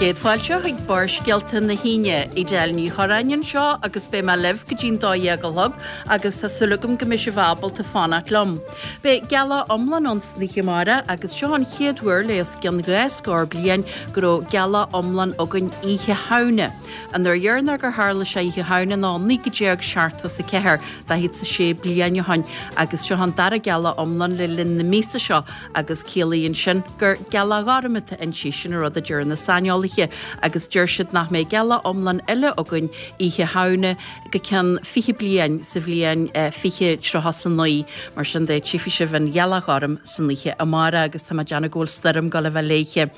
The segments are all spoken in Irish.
Céad fáilte chuig Barrscéalta na hAoine. Edel Ní Chorráin anseo agus beidh mé libh go dtí'n 12 a chlog agus tá súil agam go mbeidh sibh ábalta fanacht liom. Beidh gealach iomlán ann san oíche amárach agus seo an chéad uair le os cionn dhá scór bliain go raibh gealach iomlán againn Oíche Shamhna. An uair dheireanach gur tharla sé Oíche Shamhna ná 1974, 46 bliain ó shin, agus seo an dara gealach iomlán le linn na míosa seo agus ciallaíonn sin gur gealach ghorm atá inti, sin an rud a deir na saineolaithe, agus deir siad nach mbeidh gealach iomlán eile againn Oíche Shamhna go ceann 20 bliain, sa bhliain 2039. Mar sin de, tchífidh sibh an ghealach ghorm san oíche amárach agus tá mé ag déanamh go bhfuil stoirm ag dul a bheith léithe.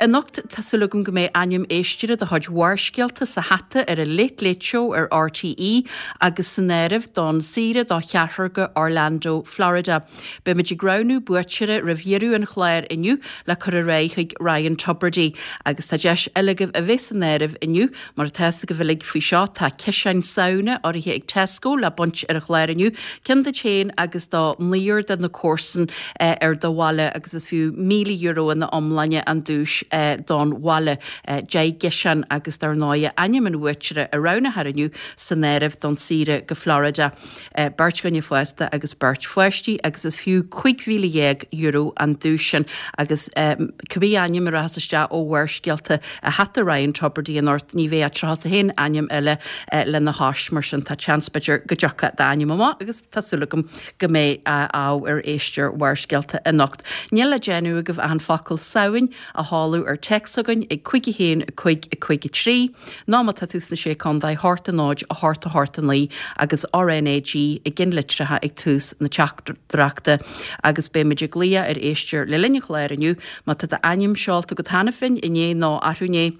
Anocht, tá súil agam go mbeidh ainm éisteora de chuid Bharrscéalta sa hata ar an Late Late Show ar RTÉ agus san áireamh don saoire do cheathrar go Orlando, Florida. Beimid ag roghnú buaiteora roimh dheireadh an chláir inniu le cur ar aghaidh chuig Ryan Tubridy. Agus tá deis eile agaibh a bheith san áireamh inniu, mar atá fhios agaibh uilig faoi seo, tá ciseáin Samhna urraithe ag Tesco le baint ar an chlár inniu, ceann duit féin agus do naonúr de na comharsain ar do bhaile agus is fiú €1,000 ina iomláine an duais don bhaile. 10 gciseán agus dar ndóigh ainm an bhuaiteora a roghnófar inniu san áireamh don saoire go Florida. beirt dhuine fásta agus beirt pháistí agus is fiú €15,000 an duais sin agus cibé ainm a rachas isteach ó Bharrscéalta i hata Ryan Tubridy anocht ní bheidh ach 31 ainm eile lena chois mar sin tá seans b'fhéidir go dtiocfadh d'ainm amach agus tá súil agam go mbeidh ádh ar éisteoir Bharrscéalta anocht. Níl le déanamh agaibh ach an focal Samhain a sheoladh ar téacs chugainn ag 5 1 5 5 3, nó má tá tú sna Sé Contae, 8 0 8 8 9 agus RnaG i gcinnlitreacha ag tús na teachtaireachta. Agus beimid ag glaoch ar éisteoir le linn an chláir inniu má tá d'ainm seolta agat cheana féin, inné nó arú inné.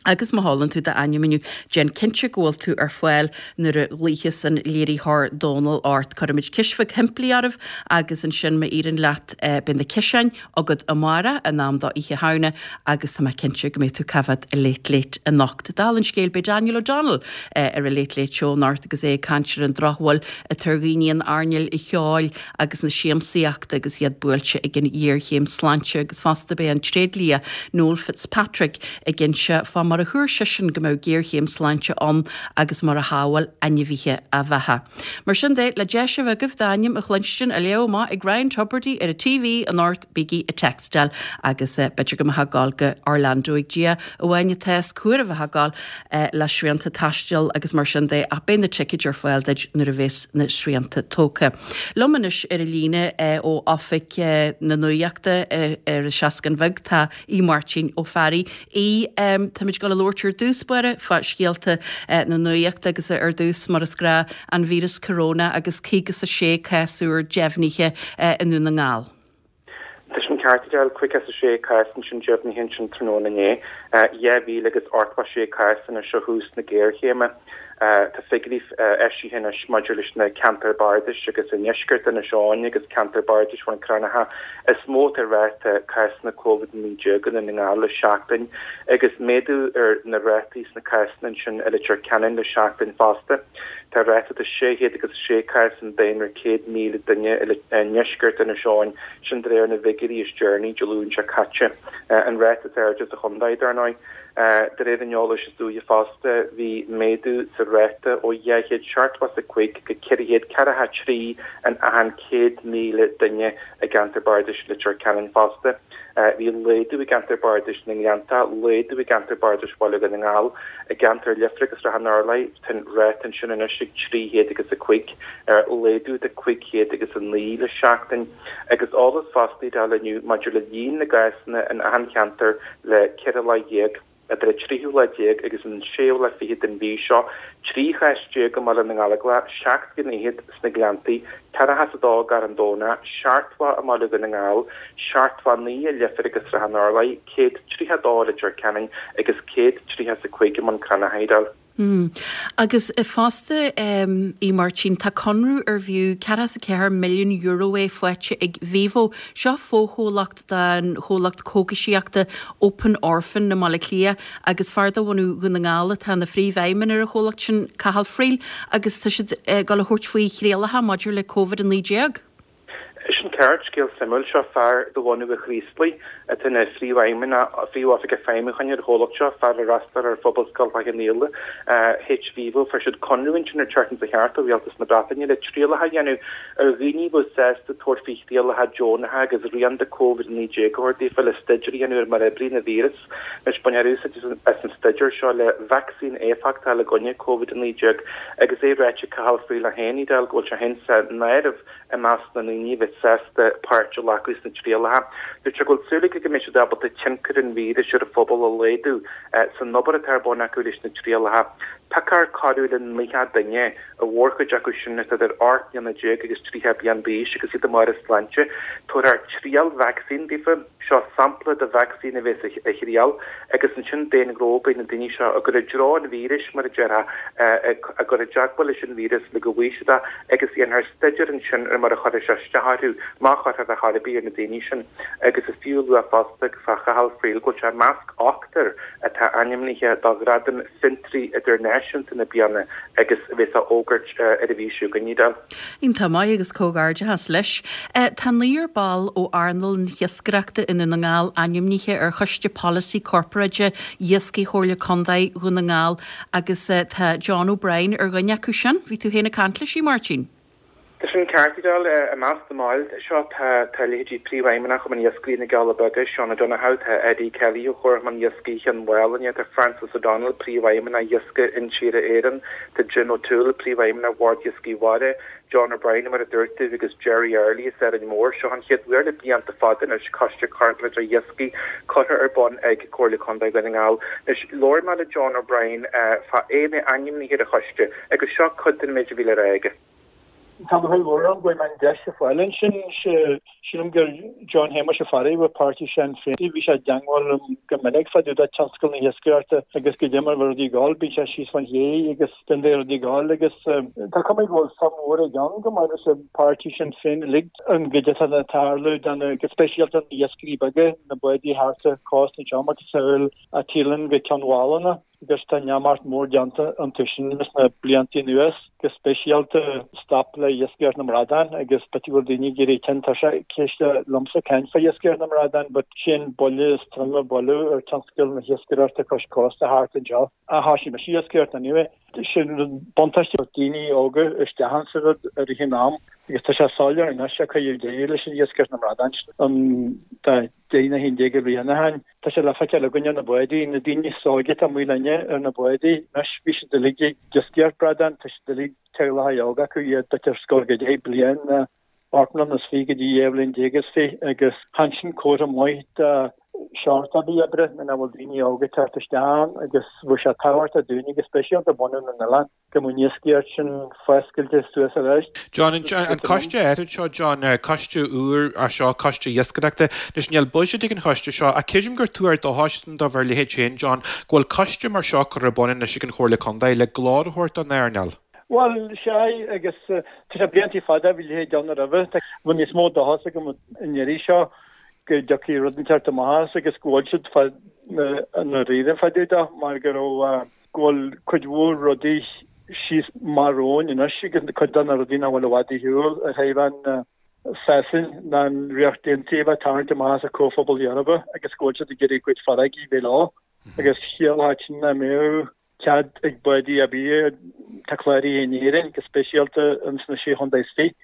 Agus má sheolann tú d'ainm inniu, déan cinnte go bhfuil tú ar fáil nuair a ghlaoifeas an léiritheoir Dónal ort. Cuirfimid ceist bheag shimplí oraibh agus ansin má éiríonn leat beidh na ciseáin agat amárach in am do Oíche Shamhna agus tá mé cinnte go mbeidh tú ag coimhéad an Late Late anocht. Dála an scéil beidh Daniel O'Donnell ar an Late Late Show anocht agus é ag caint ar an drochbhail atá ar dhaoine in earnáil an cheoil agus na siamsaíochta agus iad buailte ag an ghéarchéim sláinte agus fosta beidh an tréidlia Noel Fitzpatrick ag inse fá mar a thuar seisean go mbeadh géarchéim sláinte ann agus mar a shábháil ainmhithe a bheatha. Mar sin de, le deis a bheith agaibh d'ainm a chluinstin á léamh amach ag Ryan Tubridy ar an TV anocht bígí ag textáil agus b'fhéidir go mbeifeá ag gabháil go Orlando ag Dia amháin atá fhios cá huair a bheifeá ag gabháil le srianta taistil agus mar sin de ach beidh na ticéid ar fáil duit nuair a bheas na srianta tógtha. Liom anois ar an líne ó oifig na nuachta ar an Seascann Bheag tá Aodh Máirtín Ó Fearraigh. Aodh, táimid ag dul a labhairt ar dtús báire fá scéalta na nuachta agus ar dtús mar is gnách an víreas corona agus 56 cás úr deimhnithe i nDún na nGall. Tá sin ceart, Edel, 56 cás ansin deimhnithe ansin tráthnóna inné. 2,000 agus 86 cás anois ó thús na géarchéime. Tá figiúirí eisithe anois maidir leis na ceantair bardais agus i ndeisceart Inis Eoghain agus ceantar bardais Bhun Cranncha is mó atá ráta cásanna Covid-19 i nDún na nGall le seachtain agus méadú ar na rátaí sna cásanna ansin i Leitir Ceanainn le seachtain fosta. Tá ráta de 606 cás an daonra 100,000 duine i ndeisceart Inis Eoghain, sin de réir na bhfigiúirí is deireanaí Dé Luain seo caite, an ráta is airde sa chontae, dar ndóigh. De réir an eolais is luaithe fosta, bhí méadú sa ráta ó 275 go 443 in achan 100,000 duine i gceantar bardais Leitir Ceanainn fosta. Bhí laghdú i gceantar bardais na nGleannta, laghdú i gceantar bardais Bhaile Dhún na nGall. I gceantar Leifir agus Srath an Urláir, tá an ráta ansin anois ag 305, laghdú de 509 le seachtain. Agus eolas fosta Edel inniu maidir le líon na gcásanna in achan cheantar le 14 lá, idir an tríú lá déag agus an séú lá fichead den mhí seo, 13 chás i mBaile na nGallóglach, 7 gcinn fhichead sna Gleanntaí, 42 i gCarn Domhnach, 70 i mBaile Dhún na nGall, 79 i Leifear agus Srath an Urláir, 132 i Leitir Ceanainn agus 135 i mBun Cranncha, Edel. Agus fosta, a Mháirtín, tá conradh arbh fhiú €44 milliún é faighte ag Vivo. Seo fochomhlacht den chomhlacht cógaisíochta Open Orphan i mBaile Átha Cliath agus fear de bhunadh Dhún na nGall atá ina phríomhfheidhmeannach ar an chomhlacht sin, Cathal Friel, agus tá siad ag dul a thabhairt faoi thrialacha maidir le Covid-19. Sin. ceart, scéal suimiúil. Seo fear de bhunadh an Chraoslaigh atá ina phríomhfheidhmeannach, phríomhoifigeach feidhmiúcháin ar an chomhlacht seo, fear a d'fhreastail ar Phobalscoil Chloich Cheann Fhaola, hVivo. Fuair siad conradh ansin ar an tseachtain seo thart ó Rialtas na Breataine le trialacha a dhéanamh ar dhaoine a bheadh sásta tabhairt faoi thrialacha deonacha agus rian de Covid-19 a thabhairt daofa le staidéar a dhéanamh ar mar a oibríonn an víreas. Anois, bainfear úsáid as an staidéar seo le vacsaín éifeachtach a fháil i gcoinne Covid-19 agus é ráite ag Cathal Friel é féin, Edel, go bhfuil sé féin san áireamh i measc na ndaoine a bheas sásta páirt a ghlacadh sna trialacha. Dúirt sé go bhfuil súil aige go mbeidh siad ábalta tionchar an víris ar an phobal a laghdú san obair atá ar bun acu leis na trialacha. Piocfar corradh le 90 duine, a mhórchuid acu sin atá idir 18 mbliana agus 30 bliain d'aois agus iad i mbarr a sláinte. Tabharfar triail vacsaín daofa. Seo sampla de vacsaín a bheas á thriail agus ansin d'aon ghnó beidh na daoine seo á gcur i dtreo an víris, mar a déarfá, á gcur i dteagmháil leis an víreas le go bhfaighidh siad é agus dhéanfar staidéar ansin ar mar a chuirfidh sé isteach orthu, má chuirfear ar chor ar bith ar na daoine sin. Agus is fiú a lua fosta fá Chathal Friel go bhfuil sé i measc ochtar atá ainmnithe do Ghradam Fiontraí Idirnáisiúnta na bliana agus a bheas á fhógairt ar an mhí seo chugainn, Edel. Iontach maith agus comhghairdeachas leis. Tá naonúr ball ó earnáil na hiascaireachta i nDún na nGall ainmnithe ar Choiste Polasaí Corparáide Iascaigh Chomhairle Contae Dhún na nGall agus tá John O'Brien ar dhuine acu sin. Bhí tú féin ag caint leis, a Mháirtín? Tá sin ceart, Edel. I measc na mball seo tá tá leithéidí Príomhfheidhmeannach Chumann Iascairí na gCealla Beaga, Seán O'Donoghue, tá Eddie Kelly ó Chomharchumann Iascaigh Chionn Mhálanna, tá Francis O'Donnell, Príomhfheidhmeannach Iascaigh Intíre Éireann, Tá Jim O'Toole, Príomhfheidhmeannach Bhord Iascaigh Mhara, John O'Brien, mar a dúirt tú, agus Gerry Early as Árainn Mhór. Seo an chéad uair le blianta fada anois Coiste Corparáideach Iascaigh curtha ar bun ag Comhairle Contae Dhún na nGall. Anois, labhair mé le John O'Brien fá é bheith ainmnithe ar an choiste agus seo cuid den méid a bhí le rá aige. Tá lúcháir mhór orm go bhfuair mé an deis a fáil ansin. Sílim gur John Shéamuis Ó Fearraigh ó pháirtí Shinn Féin. Bhí sé i dteangmháil liom go minic fá dtaobh de tionscal na hiascaireachta agus goidé mar a bhí rudaí ag gabháil. Bíonn sé síos fán ché agus den bheidh rudaí ag gabháil agus tá cuma go bhfuil suim mhór aige ann go maith leis an páirtí Sinn Féin uilig an gcuid atá ag tarlú do na, go speisialta na iascairí beaga, na bádaí thart ar chósta anseo, macasamhail Teelin go Ceann Mhálanna. agus tá neamart mór déanta iontu sin sna blianta anuas, go speisialta stop le iascaireacht na mbradán agus b'fhéidir go bhfuil daoine ag éirí tinn tá sé céiste liomsa caint fá iascaireacht na mbradán but sin buille is troime buaileadh ar tionscal na hiascaireachta cois cósta thart anseo. A thoisigh mise iascaireacht anyway. Sin buntáiste daoine óga isteach insa rud i rith an am agus tá sé soiléir anois a cuireadh deireadh leis an iascaireacht na mbradán an dá 10 nó 11 bhliain ó shin. Tá sé le feiceáil againn ar na bádaí, na daoine is óige atá amuigh linne ar na bádaí anois, bhí siad uilig ag iascaireacht bradán, tá siad uilig teaghlacha óga acu, iad b'fhéidir ar scoil go deich bliain, 18 mbliana is fiche go dtí 12 bhliain is fiche agus chan sin comhartha maith de shórt ar bith oibre nuair nach bhfuil daoine óga ag teacht isteach ann agus bheadh sé tábhachtach dúinne go speisialta bunadh na n-oileán. go mbeadh an iascaireacht sin foscailte suas arís. John, an coiste áirid seo, John, coiste úr é seo, coiste iascaireachta. Anois, níl buiséad ag an choiste seo, ach creidim gur tuar dóchais do bhur leithéid féin, John, go bhfuil coiste mar seo curtha ar bun anois ag an Chomhairle Contae le glór a thabhairt don earnáil. Bhuel, sea, agus tá sé bliantaí fada bhí a leithéid ann roimhe. Tá níos mó dóchas agam an iarraidh seo go dtiocfaidh rud inteacht amach as agus go bhfuil siad fá ndáiríre fá dtaobh de mar go raibh go bhfuil cuid mhór rudaí síos amach romhainn anois agus cuid de na rudaí nach bhfuil i bhfad ar shiúl ar thaobh an Sasain ná an Ríocht Aontaithe a bheith ag tarraingt amach as an Comhphobal Eorpach agus go bhfuil siad ag iarraidh a gcuid farraigí a bheith leo agus chiallódh sin nach mbeadh cead ag bádaí ar bith atá cláraithe in Éirinn, go speisialta ins na Sé Chontae is Fiche,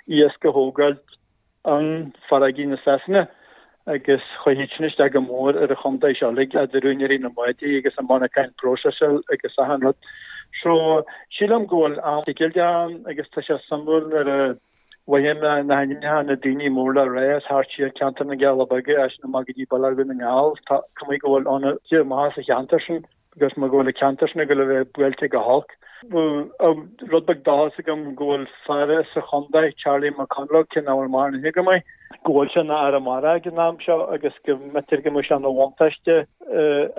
iasc a thógáilt in farraigí na Sasana agus chuirfeadh sin isteach go mór ar an chontae seo uilig, idir úinéirí na mbádaí agus an monarcháin próiseála agus achan rud. So, sílim go bhfuil am deighilte ann agus tá sé suimiúil nuair a mhothaím na hainmneacha na daoine mór le rá as thart siar ceantar na gCealla Beaga, as sin amach go dtí Baile Dhún na nGall, tá cuma go bhfuil ionad maith sa cheantar sin. agus mar go bhfuil an ceantar sin ag dul a bheith buailte go holc. Bhí rud beag dóchas agam go bhfuil fear sa chontae, Charlie McConalogue, cé nach bhfuil maraithe go maith, go bhfuil sé ina Aire Mara ag an am seo agus go mb'fhéidir go mbeadh sé ina bhuntáiste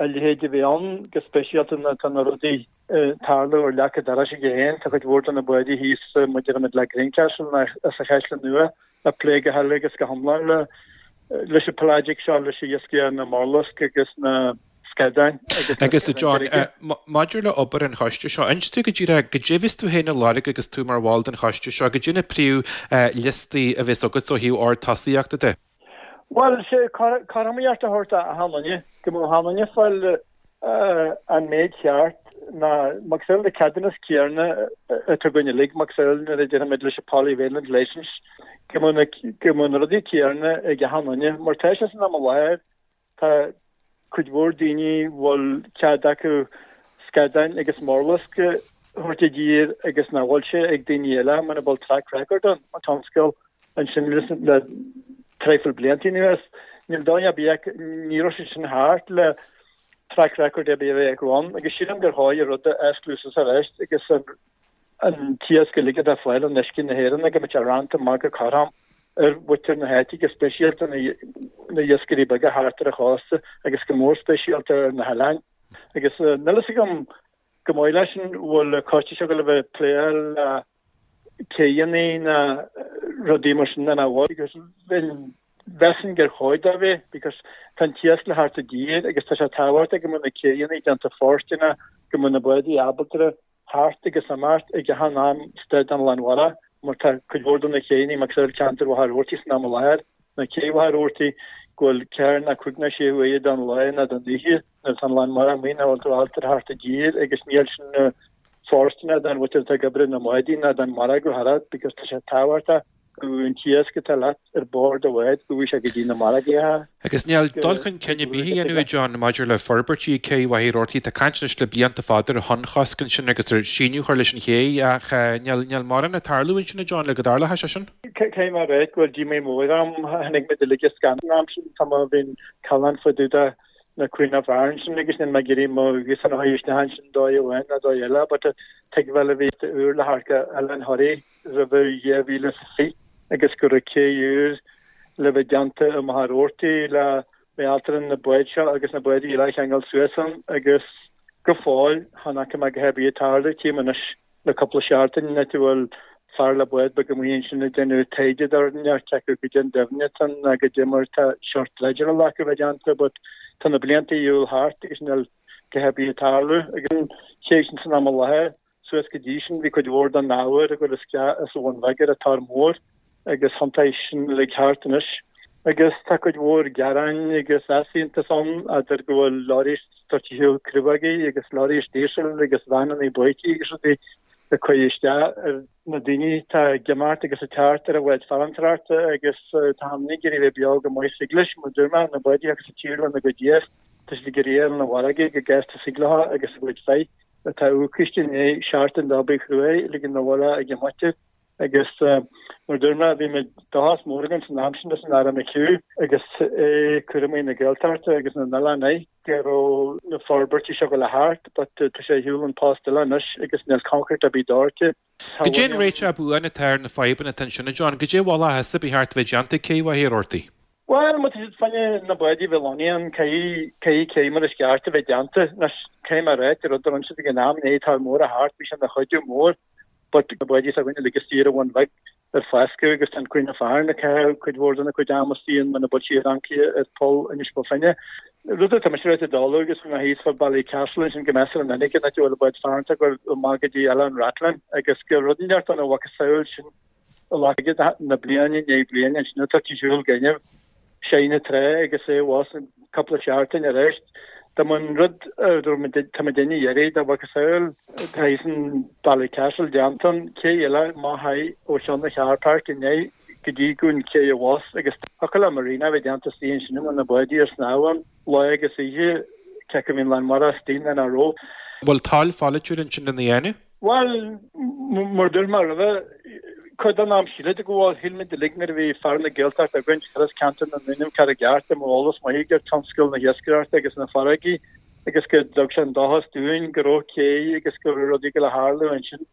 a leithéid a bheith ann, go speisialta nuair atá na rudaí ag tarlú ar leac an dorais aige féin. Tá cuid mhór de na bádaí thíos mar a deirimid le Greencastle nó as an Chaisleán Nua ag plé go huile agus go hiomlán leis an pelagic seo, leis an iascaigh na murlasc agus na. scadáin agus na Agus a John, maidir le obair an choiste seo, inis dúinn go díreach goidé a bheas tú féin ag lorg agus tú mar bhall den choiste seo, goidé na príomh liostaí a bheas agat ó thaobh ord tosaíochta de? Bhuel, sé cothromaíocht a thabhairt d'achan duine, go mbeadh achan duine ag fáil an méid cheart ná macasamhail na ceadúnas céanna atá againn uilig, macasamhail nuair a déarfaimid leis an polyvalent licence, go mbeadh na rudaí céanna ag achan duine. Mar tá sé san am i láthair, tá cuid mhór daoine a bhfuil cead acu scadáin agus murlasc a thabhairt i dtír agus nach bhfuil sé ag daoine eile muna bhfuil track record ann, an tionscal ansin le traidhfil blianta anuas. Níl dóigh ar bith acu, ní raibh sé sin thart le track record ar bith a bheith acu ann agus sílim gur chóir an rud a osclú suas arís agus an t-iasc uilig atá ag fáil in uisce na hÉireann go mbeadh sé roinnte amach go cothrom ar mhuintir na háite go speisialta na hiascairí beaga thart ar an chósta agus go mór speisialta ar na hoileáin. Agus níl fhios agam go maith leis an bhfuil an coiste seo ag gabháil a bheith ag plé le céidheanna ná rudaí mar sin nach bhfuil because mheasfainn gur chóir dó bheith because tá an t-iasc le theacht i dtír agus tá sé tábhachtach go mbeadh na céidheanna déanta fóirsteanach, go mbeadh na bádaí ábalta theacht agus imeacht ag achan am istigh den lán mhara mar tá cuid mhór de na céidheanna macasamhail ceantar Mhachaire Rabhartaigh san am i láthair ná cé Mhachaire Rabhartaigh go bhfuil ceathair ná cúig ná sé huaire den lá ná den oíche nuair atá an lán mara amuigh nach bhfuil tú ábalta theacht i dtír agus níl sin fóirsteanach don mhuintir atá ag oibriú na mbádaí ná don margadh thar because tá sé tábhachtach go bhfuil an t-iasc atá leat ar bord do bháid go bhfuil sé go dtí na margaí. Agus níl dul chun cinn ar bith á dhéanamh, a John, maidir le forbairtí ag cé Mhachaire Rabhartaigh. Tá caint anois le blianta fada ar thonnchosc ansin agus ar síneadh a chur leis an ché ach níl níl mórán ag tarlú ansin, a John, le go dtarlódh sé sin. Caithfidh mé a rá go bhfuil díomá mór orm. Chonaic muid uilig an scannán an am sin, tá mé bhí'n callán fá dtaobh de na Queen of Arann sin agus níl mé ag iarraidh mo ghuthán a chur isteach ansin dóigh amháin ná dóigh eile but tuigbheáil a bhí úr le theacht go Oileán Thoraí roimh 2020 agus go raibh cé úr le bheith déanta i Machaire Rabhartaigh le mbeadh ábalta na báid seo agus na báid eile a cheangal suas ann agus go fóill chan fhaca mé a dhath ar bith ag tarlú tchím anois le cúpla seachtain áit a bhfuil fear le bád beag amuigh ansin ag déanamh taighde de rud inteacht cé acu goidé an doimhne atá ann ná goidé mar tá seort dreideáil acu a bheith déanta but tá na blianta ar shiúl thart agus níl a dhath ar bith ag tarlú agus an ché sin san am i láthair suas go dtí sin bhí cuid mhór den ábhar ag dul isteach as an Bhun Bheag ar an Tor Mór agus thiontaigh sin uilig thart anois. Agus tá cuid mhór gearáin agus easaontas ann idir go bhfuil leoraí ag tabhairt ar shiúl crobhaigí agus leoraí díosail agus veaineanna boichtí agus rudaí ag cur isteach ar na daoine atá ag imeacht agus ag teacht ar an bhád farantóireachta agus tá an ag iarraidh bheith beo go maith thig leis, mar dúirt mé, na bádaí agus an tír lena gcuid iasc, tá siad ag iarraidh ar na bhfarraige go gasta thig leo agus a gcuid féith atá uacaiste i ndiaidh seachtain d'obair chruaidh ligean na bhfuil ag an muintir. Agus mar dúirt mé, bhí muid dóchas mór againn san am sin leis an Aire McHugh agus é cúramaí na Gaeltachta agus na n-oileán air go raibh na forbairtí seo ag dul a theacht but tá sé ar shiúl an post eile anois agus níl concrete ar bith doirte. Goidé an réiteach buan atá ar na fadhbanna atá ansin, a John? Goidé a mholfá thusa ba cheart a bheith déanta ag cé Mhachaire Rabhartaigh? Bhuel, má tá siad fá choinne na bádaí a bheith lonnaithe ann, caithfidh, caithfidh cé mar is ceart a bheith déanta. Anois, caithfidh mé a ráit, rud a rinne siad ag an am, an Tor Mór a theacht, bhí sé ina chuidiú mór. But na bádaí s'againne uilig istigh ar an Bhun Bheag ar foscadh agus tá an Queen of Arann ag caitheamh cuid mhór dena cuid ama istigh ann muna bhfuil sí ar ancaire ar Pholl Inis Bó Finne. Rud atá mise ráite dála agus bhí mé thíos fá Ballycastle ansin go measartha minic an áit a bhfuil an bád farantóireachta ag dul amach go dtí Oileán Rathlin agus gur rud inteacht ann a mhacasamhail sin a na bliana i ndiaidh bliana ansin atá ar siúl gaineamh sé na trá agus é abhus an cúpla seachtain arís. Dá mba an rud a raibh muid tá muid ina iarraidh dá mhacasamhail tá thíos in Ballycastle déanta an cé eile amach ó cheann an car park inné go dtí go an cé abhus agus thiocfadh le marina a bheith déanta istigh ansin a bhfuil na bádaí ar snámh ann lá agus oíche cé acu a bhíonn lán mara istigh nó nach raibh. Bhfuil toil pholaitiúil ansin lena dhéanamh? Bhuel, mar dúirt mé roimhe, cuid den am sílid go bhfuil, shíl muid uilig nuair a bhí fear na Gaeltachta againn, chuireas ceantar na nDúnaibh ceart i gceart, i m'eolas maith ar tionscal na hiascaireachta agus na farraigí agus go dtug sé an dóchas dúinn go raibh cé agus go raibh rudaí ag dul a tharlú ansin.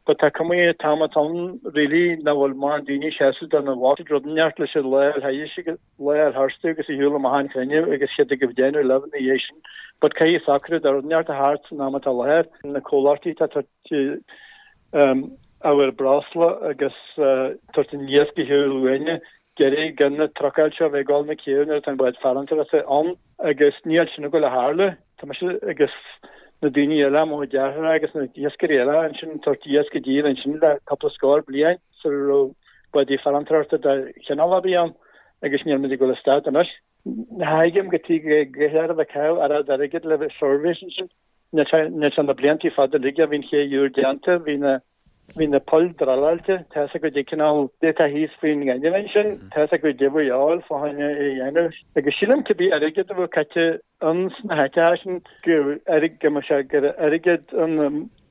But tá cuma an t-am atá ann really nach bhfuil mórán daoine ag seasamh do na bhfocail, rud inteacht leis an lá a theaghais agus lá a tharstu agus a shiúl amach an chruinniú agus siad ag déanamh libh ina dhiaidh sin. But caithfidh socrú de rud inteacht a theacht san am atá i láthair. Na comhlachtaí atá ag tabhairt ábhar breosla agus tabhairt an iasc ar shiúl uainne. deiridh den trucail seo a bheith ag dul na céibh nuair atá an bád farantóireachta ann agus níl sin ag dul a tharlú. Tá mise agus na daoine eile, mo chuid deartháireacha agus na hiascairí eile ansin ag tabhairt iasc i dtír ansin le cúpla scór bliain sula raibh bádaí farantóireachta de chineál ar bith ann agus níl muid ag dul a stad anois. Tuigim go dtig go léir a bheith ag caitheamh oiread airgid le bheith surveys ansin. Níl sé na bliantaí fada uilig a bhí an ché úr déanta, bhí na Bhí na poill druileáilte, tá fhios agat cineál atá thíos faoin ngaineamh ansin, tá fhios agat goidé a bhí a dhíobháil fá choinne é a dhéanamh. Agus sílim cibé airgead a bheadh caite ins na háiteacha sin, go go mbeadh sé gur airgead an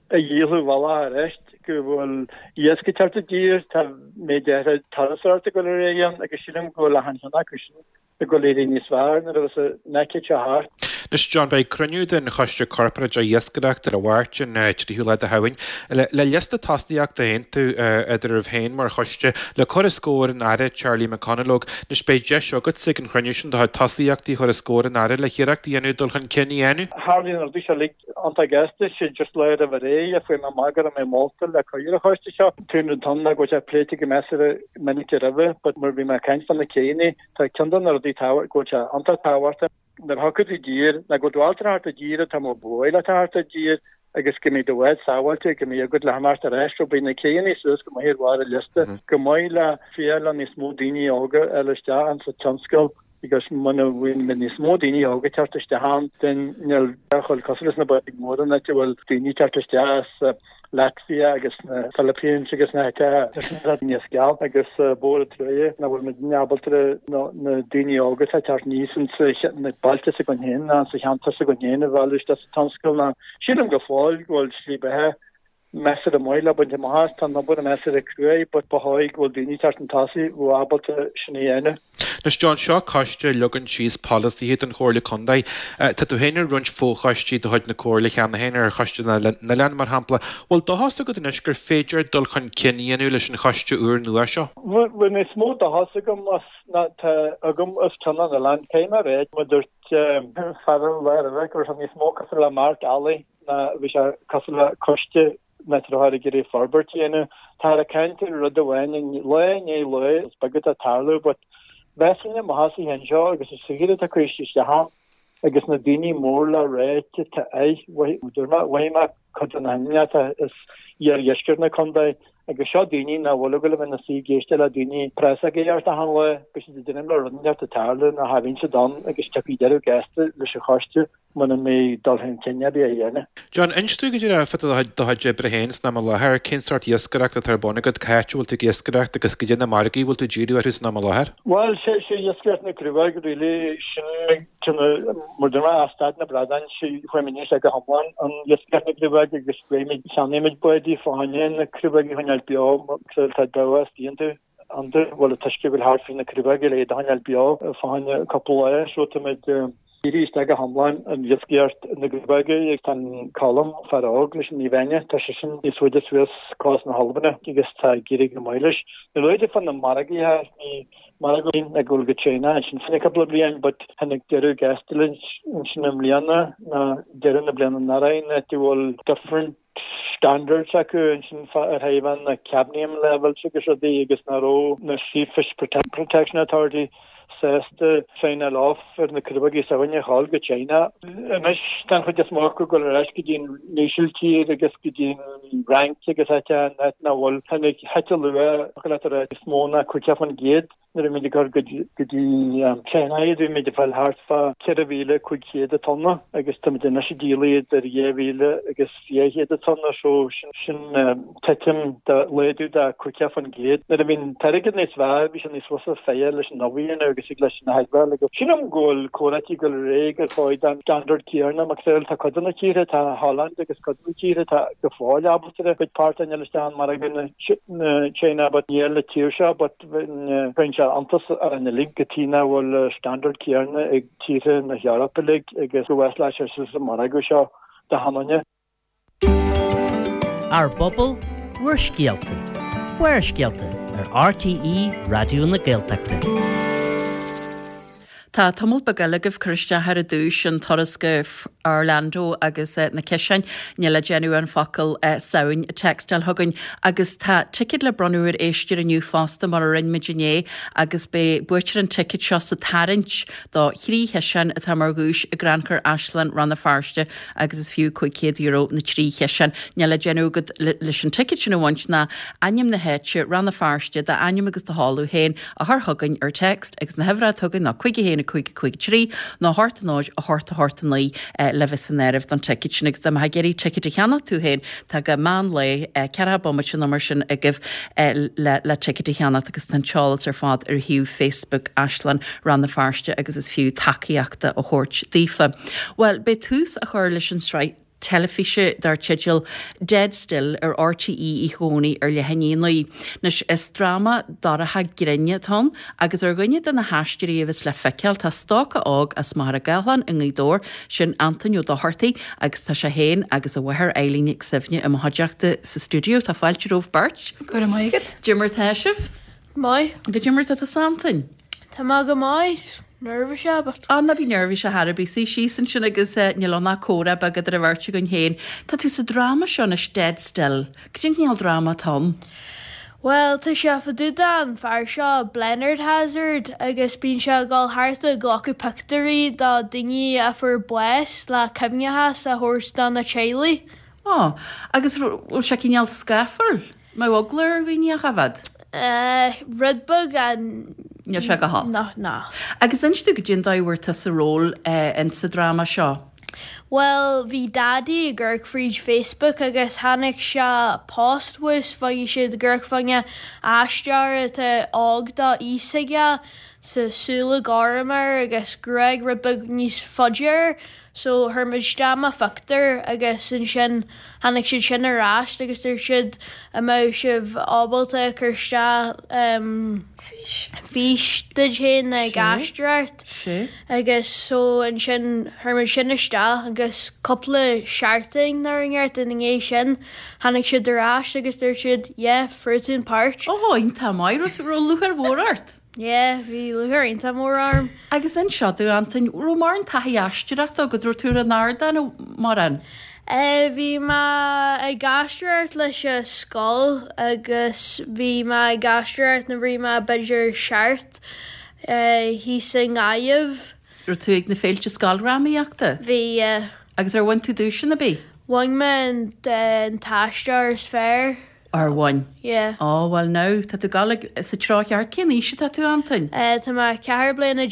a dhíolfadh bhealach arís, go bhfuil iasc ag teacht i dtír, tá méid áirithe turasóireachta ag dul ar aghaidh ann agus sílim go bhfuil achan cheann acu sin ag dul éirí níos fearr nuair a bheas an aicíd seo thart. Anois, John, beidh cruinniú den Choiste Corparáideach Iascaireachta ar an Mháirt, an 3ú lá de Shamhain, le liosta tosaíochta a aontú eadraibh féin mar choiste le cur os comhair an Aire Charlie McConalogue. Anois, beidh deis agatsa ag an chruinniú sin do chuid tosaíochtaí a chur os comhair an Aire le hiarracht a dhéanamh dul chun cinn a dhéanamh. Tharlaigh na rudaí seo uilig iontach gasta, sé just lá roimh ré a fuair mé amach go raibh mé molta le cur ar an choiste seo. An rud atá ann ná go bhfuil sé pléite go measartha minic roimhe, but mar bhí mé ag caint fá na céanna, Tá ceann de na rudaí tábhacht, go bhfuil sé iontach tábhachtach nuair a thiocfaidh tú i dtír, ná go bhfuil tú ábalta a theacht i dtír atá mar bhuail leat a theacht i dtír agus go mbeidh do bhád sábháilte, go mbeidh agat le himeacht ar ais, so beidh na céanna suas go maith ar bharr an liosta, go maith le féach le níos mó daoine óga a fháil isteach insa tionscal agus muna bhfuil níos mó daoine óga ag teacht isteach ann, then níl a dhul cosúil leis na báid mhóra an áit a bhfuil daoine ag teacht isteach as Latvia agus na Philippines agus na háiteacha níos geall agus mór an trua nach bhfuil muidne ábalta na daoine óga atá ag teacht aníos ins na bailte s'againn féin ná sa cheantar s'againn féin a mhealladh isteach sa tionscal ná sílim go fóill go bhfuil slí beatha measartha maith le baint amach as. Tá an obair measartha cruaidh but ba chóir go bhfuil daoine ag teacht chun tosaigh a bheadh ábalta sin a dhéanamh. Anois John, seo coiste a leagann síos polasaithe don Chomhairle Contae. Tá tú féin ar roinnt fochoistí de chuid na Comhairle cheana féin, ar Choiste na nOileán mar shampla. Bhfuil dóchas agat anois gur féidir dul chun cinn a dhéanamh leis an choiste úr nua seo? Bhfuil níos mó dóchas agam as ná tá agam os cionn na n-oileán. Caithfidh mé a rá, mar dúirt fear an lá roimhe go raibh sé níos mó cosúil le marc eallaigh ná bhí sé cosúil le coiste nach raibh ag iarraidh forbairt a dhéanamh. Táthar ag caint ar rud amháin lá i ndiaidh lae, is beag atá ag tarlú but mheasfainn amach as an cheann seo agus is saothar atá curtha isteach ann agus na daoine mór le ráite atá air, mhothaigh mé cuid de na hinnealta as iardheisceart na contae agus seo daoine nach bhfuil ag dul a bheith ina suí ag éisteacht le daoine prás ag éisteacht achan lá, beidh siad ag déanamh le rud inteacht ag tarlú nó cha bhíonn siad ann agus tiocfaidh deireadh gasta leis an choiste. muna mbeidh dul chun cinn ar bith á dhéanamh. John, inis dúinn go díreach fá do chuid oibre féin san am i láthair, cén sórt iascaireachta atá ar bun agat, cá háit a bhfuil tú ag iascaireacht agus goidé na margaí a bhfuil tú ag díriú orthu san am i láthair? Bhuel, sé iascaireacht na gcrobhag really, sin cineál, mar dúirt mé, as staid na bradán, sé chuaigh muid isteach go hiomlán an iascaireacht na gcrobhag agus beidh cheannaigh muid bádaí fá choinne na crobhaig a choinneáil beo, tá damhas iontu. An bhfuil an t-uisce go bhfuil thart faoi na crobhaig le iad a choinneáil beo fá choinne cúpla lá so táimid dírithe isteach go hiomlán in iascaireacht na gcrobhag agus tá an Colm, fear óg leis an Naomh Áine, tá seisean níos faide suas cósta na hAlban agus tá ag éirí go maith leis. Ní luaite fá na margaí ní margadh ag dul go China ansin fá choinne cúpla bliain but tháinig deireadh gasta linn ansin i mbliana ná deireadh na bliana anuraidh ná go bhfuil different standards acu ansin ar thaobh an cadmium levels agus rudaí agus nach raibh na Sea Fish Protection Authority sásta sign-áil off ar na crobhaigí s'againne a ghabháil go China. Anois tá an chuid is mó acu ag dul ar ais go dtí an Ísiltír agus go dtí an Fhrainc agus áit áit nach bhfuil. Tháinig thit a luach leat a rá níos mó ná 50%. Nuair a bhí muid ag cur go dtí China iad, bhí muid ag fáil thart fá 4,500 an tonna agus táimid anois ag díol iad ar 2,000 agus 200 an tonna so sin titim de laghdú de 50%. Nuair a bhí an t-airgead níos fearr, bhí sé níos fusa feidhe leis an ubh a dhéanamh agus ag leis an theagmháil agus sílim go bhfuil comhráití ag dul ar aghaidh ar fáil den standard céanna mar tá cuid de na tíortha, tá Holland agus cuid de na tíortha atá go fóill ábalta a gcuid páirt a fháil isteach i margadh na China but níl na tír seo but Cuireann sé iontas orainn uilig go tí nach bhfuil standard céanna ag tíortha na hEorpa uilig agus go bhfuil sé sa margadh seo do thiomáine. Ár bPobal, Bhur Scéalta, Barrscéalta ar RTÉ Raidió na Gaeltachta. Tá tamall beag eile agaibh cur isteach ar an duais an turas go Orlando agus na ciseáin. Níl le déanamh an focal Samhain a textáil chugainn. Agus tá ticéad le bronnadh ar éisteoir inniu fosta mar a rinne muid inné agus beidh buaiteoir an ticéid seo sa tarraingt do thrí chiseán atá mar dhuais i gCrannchur Áislann Rann na Feirste agus is fiú €500 na trí chiseán. Níl le déanamh agat leis an ticéad sin a bhaint ná ainm na háite, Rann na Feirste, d'ainm agus do sheoladh féin a chur chugainn ar text agus na huimhreacha atá againn ná 5 1 5 5 3 nó 8 0 8 8 9 le bheith san áireamh don ticéad sin agus dá mbeifeá ag iarraidh ticéad a cheannach tú féin tá go meán lae, 40 bomaite nó mar sin agaibh le le ticéad a cheannacht agus tá an t-eolas ar fad ar shuíomh Facebook Áislann Rann na Feirste agus is fiú tacaíocht a thabhairt daofa. Bhuel, beidh tús á chur leis an sraith teilifíse dar teideal Dead Still ar RTÉ oíche Dhomhnaigh ar leath i ndiaidh a 9. Anois, is dráma dorcha grinn atá ann agus ar dhuine de na haisteoirí a bheas le feiceáil tá stócach óg as Machaire Gathlán i nGaoth Dobhair, sin Antain Ó Dochartaigh agus tá sé féin agus a mháthair Eileen Nic Suibhne i mo chuideachta sa stiúideo. Tá fáilte romhaibh beirt. Go raibh maith agat. Cad é mar tá sibh? Maith. Cad é mar tá tusa Antain? Tá mé go maith. Neirbhíseach but. Á, ná bí neirbhíseach ar bith. Suigh síos ansin agus níl ann ach comhrá beag idir an bheirt againn féin. Tá tú sa dráma seo anois, Dead Still. Cad é an cineál dráma atá ann? Bhuel, tá sé fá dtaobh den fear seo, Blenard Hazzard, agus bíonn sé ag dul thart ag glacadh pictiúirí do daoine a fuair bás le cuimhneachas a thabhairt do na teaghlaigh. Á, agus bhfuil sé cineál scáfar? Mbeadh eagla ar dhaoine a choimhéad? Rud beag Níl sé go holc. Ná, ná. Agus inis domh goidé an dóigh a bhfuair tusa ról in sa dráma seo. Bhuel, bhí Daidí ag amharc fríd Facebook agus tháinig sé post thuas, bhí siad ag amharc fá choinne aisteoir atá óg do aois aige, sa súile gorm air agus gruaig rud beag níos faide air. So chuir muid isteach mo phictiúr agus ansin tháinig siad sin ar ais agus dúirt siad an mbeadh sibh ábalta cur isteach fís duit féin ag aisteoireacht agus so ansin chuir muid sin isteach agus cúpla seachtain nó rud inteacht ina ndiaidh sin tháinig siad ar ais agus dúirt siad yeah fuair tú an páirt. Ó iontach maith, raibh lúcháir mhór ort? Yeah, bhí lúcháir iontach mór orm. Agus inis domh, Antain, raibh mórán taithí aisteoireachta agat, raibh tú ar an ardán mórán? Eh, bhí mé ag aisteoireacht leis an scoil agus bhí mé ag aisteoireacht nuair a bhí mé b'fhéidir seacht, eh, thíos i nGaillimh. Raibh tú ag na féilte scoildrámaíochta? Bhí, yeah. Agus ar bhain tú duaiseanna ar bith? Bhain mé an, an t-aisteoir is fearr. Ar bhain? Yeah. Ó, bhuel now, tá tú ag dul ag, sa treo cheart. Cén aois atá tú, Antain? Eh, tá mé 14 bliana.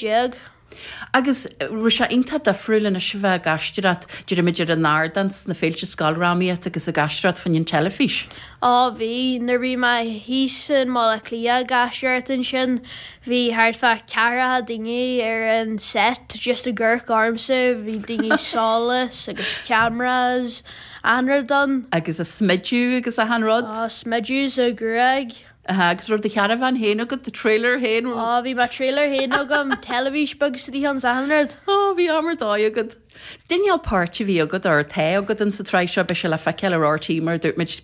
Agus raibh sé iontach difriúil anois a bheith ag aisteoireacht, deirimid ar an ardán sna féilte scoildrámaíochta agus ag aisteoireacht fá choinne an teilifís? Ó, bhí. Nuair a bhí mé thíos i mBaile Átha Cliath ag aisteoireacht ansin, bhí thart fá ceathracha daoine ar an set just ag amharc ormsa, bhí daoine solas agus cameras. Achan rud ann. Agus a smideadh agus achan rud. Á, smideadh sa ghruaig. Aha, agus raibh do charavan féin agat, do trailer féin? Á, bhí mo trailer féin agam, teilifís beag istigh ann 's achan rud. Á, bhí am ar dóigh agat. Cén cineál páirt a bhí agat, or atá agat in sa tsraith seo, beidh sé le feiceáil ar RTÉ mar a dúirt muid,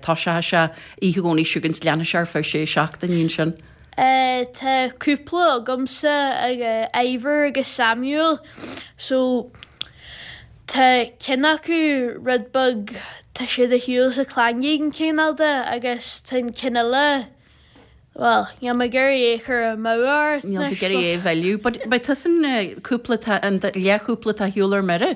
toiseoidh sé oíche Dhomhnaigh seo chugainn 's leanfaidh sé ar feadh sé seachtainí ansin. Tá cúpla agamsa, Ivor agus Samuel, so Tá ceann acu rud beag, tá siad ar shiúl sa clanging cineál de agus tá an ceann eile, bhuel, níl mé ag iarraidh é a chur amú ort Níl tú ag iarraidh é a mhilleadh. But beidh tusa an cúpla atá, an leathchúpla atá ar shiúl ar mire?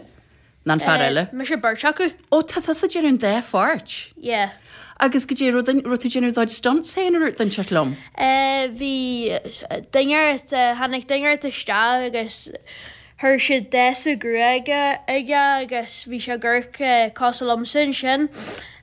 Ná an fear eile? Mise beirt acu. Ó, tá tusa ag déanamh an dá pháirt? Yeah. Agus goidé, raibh tú ag déanamh do chuid stunts féin ar d'inis liom? Bhí duine ort, tháinig duine ort isteach agus Chuir siad damhsa gruaige aige agus bhí sé ag amharc cosúil liomsa ansin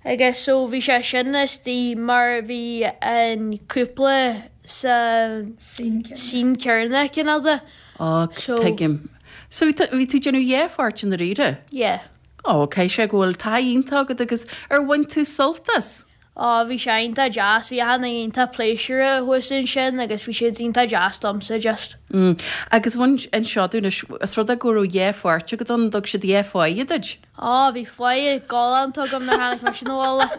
agus so bhí sé sin istigh mar bhí an cúpla sa scene céanna cineál de. Ó, So. tuigim. So bhí tú, bhí tú ag déanamh dhá pháirt i ndáiríre? Yeah. Ó, caithfidh sé go bhfuil taithí iontach agat agus ar bhain tú sult as? Á, bhí sé iontach deas, bhí achan duine iontach pléisiúrtha thuas ansin agus bhí siad iontach deas domsa just. Mm. Agus bhain, inis domh anois, is rud é go raibh dhá pháirt agat ann, thug siad dhá pháighe duit? Á, bhí pháighe galánta agam nuair tháinig mise 'na bhaile.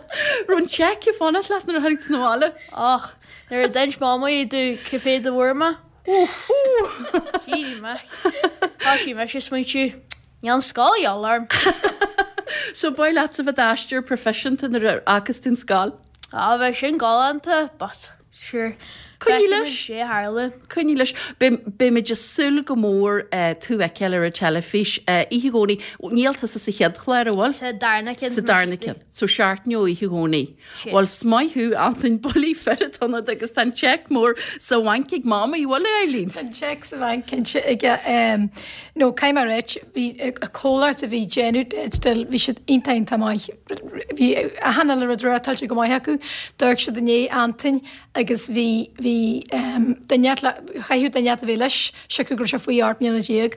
Raibh an cheque ag fanacht leat nuair a tháinig tú 'na bhaile? Och, nuair a d'inis Mamaí domh cé mhéad a fuair mé. Shíl mé. Thoisigh mise ag smaointiú, níl an scoil a dhíobháil orm. So ba mhaith leatsa bheith i d'aisteoir proifisiúnta nuair a fhágfas tú an scoil? Á, bheadh sin galánta, but sure. Coinnigh leis. Sé a tharlaíonn. Coinnigh leis. Beimid ag súil go mór tú a fheiceáil ar an teilifís oíche Dhomhnaigh. Níl tusa sa chéad chlár, an bhfuil? Sa darna ceann. Sa darna ceann. So seachtain ó oíche Dhomhnaigh. Bhuel, 's maith thú, Antain, buillí fir atá ionat agus tá an cheque mór sa bhanc ag Mamaí, bhfuil, a Eileen? Tá an cheque sa bhanc cinnte aige. No, caithfidh mé a ráit, bhí an comhlacht a bhí ag déanamh Dead Still, bhí siad iontach iontach maith. Bhí achan uile rud reáchtáilte go maith acu. D'amharc siad i ndiaidh Antain agus bhí, bhí duine, chaithfeadh duine a bheith leis, siocair go raibh sé faoi 18 mbliana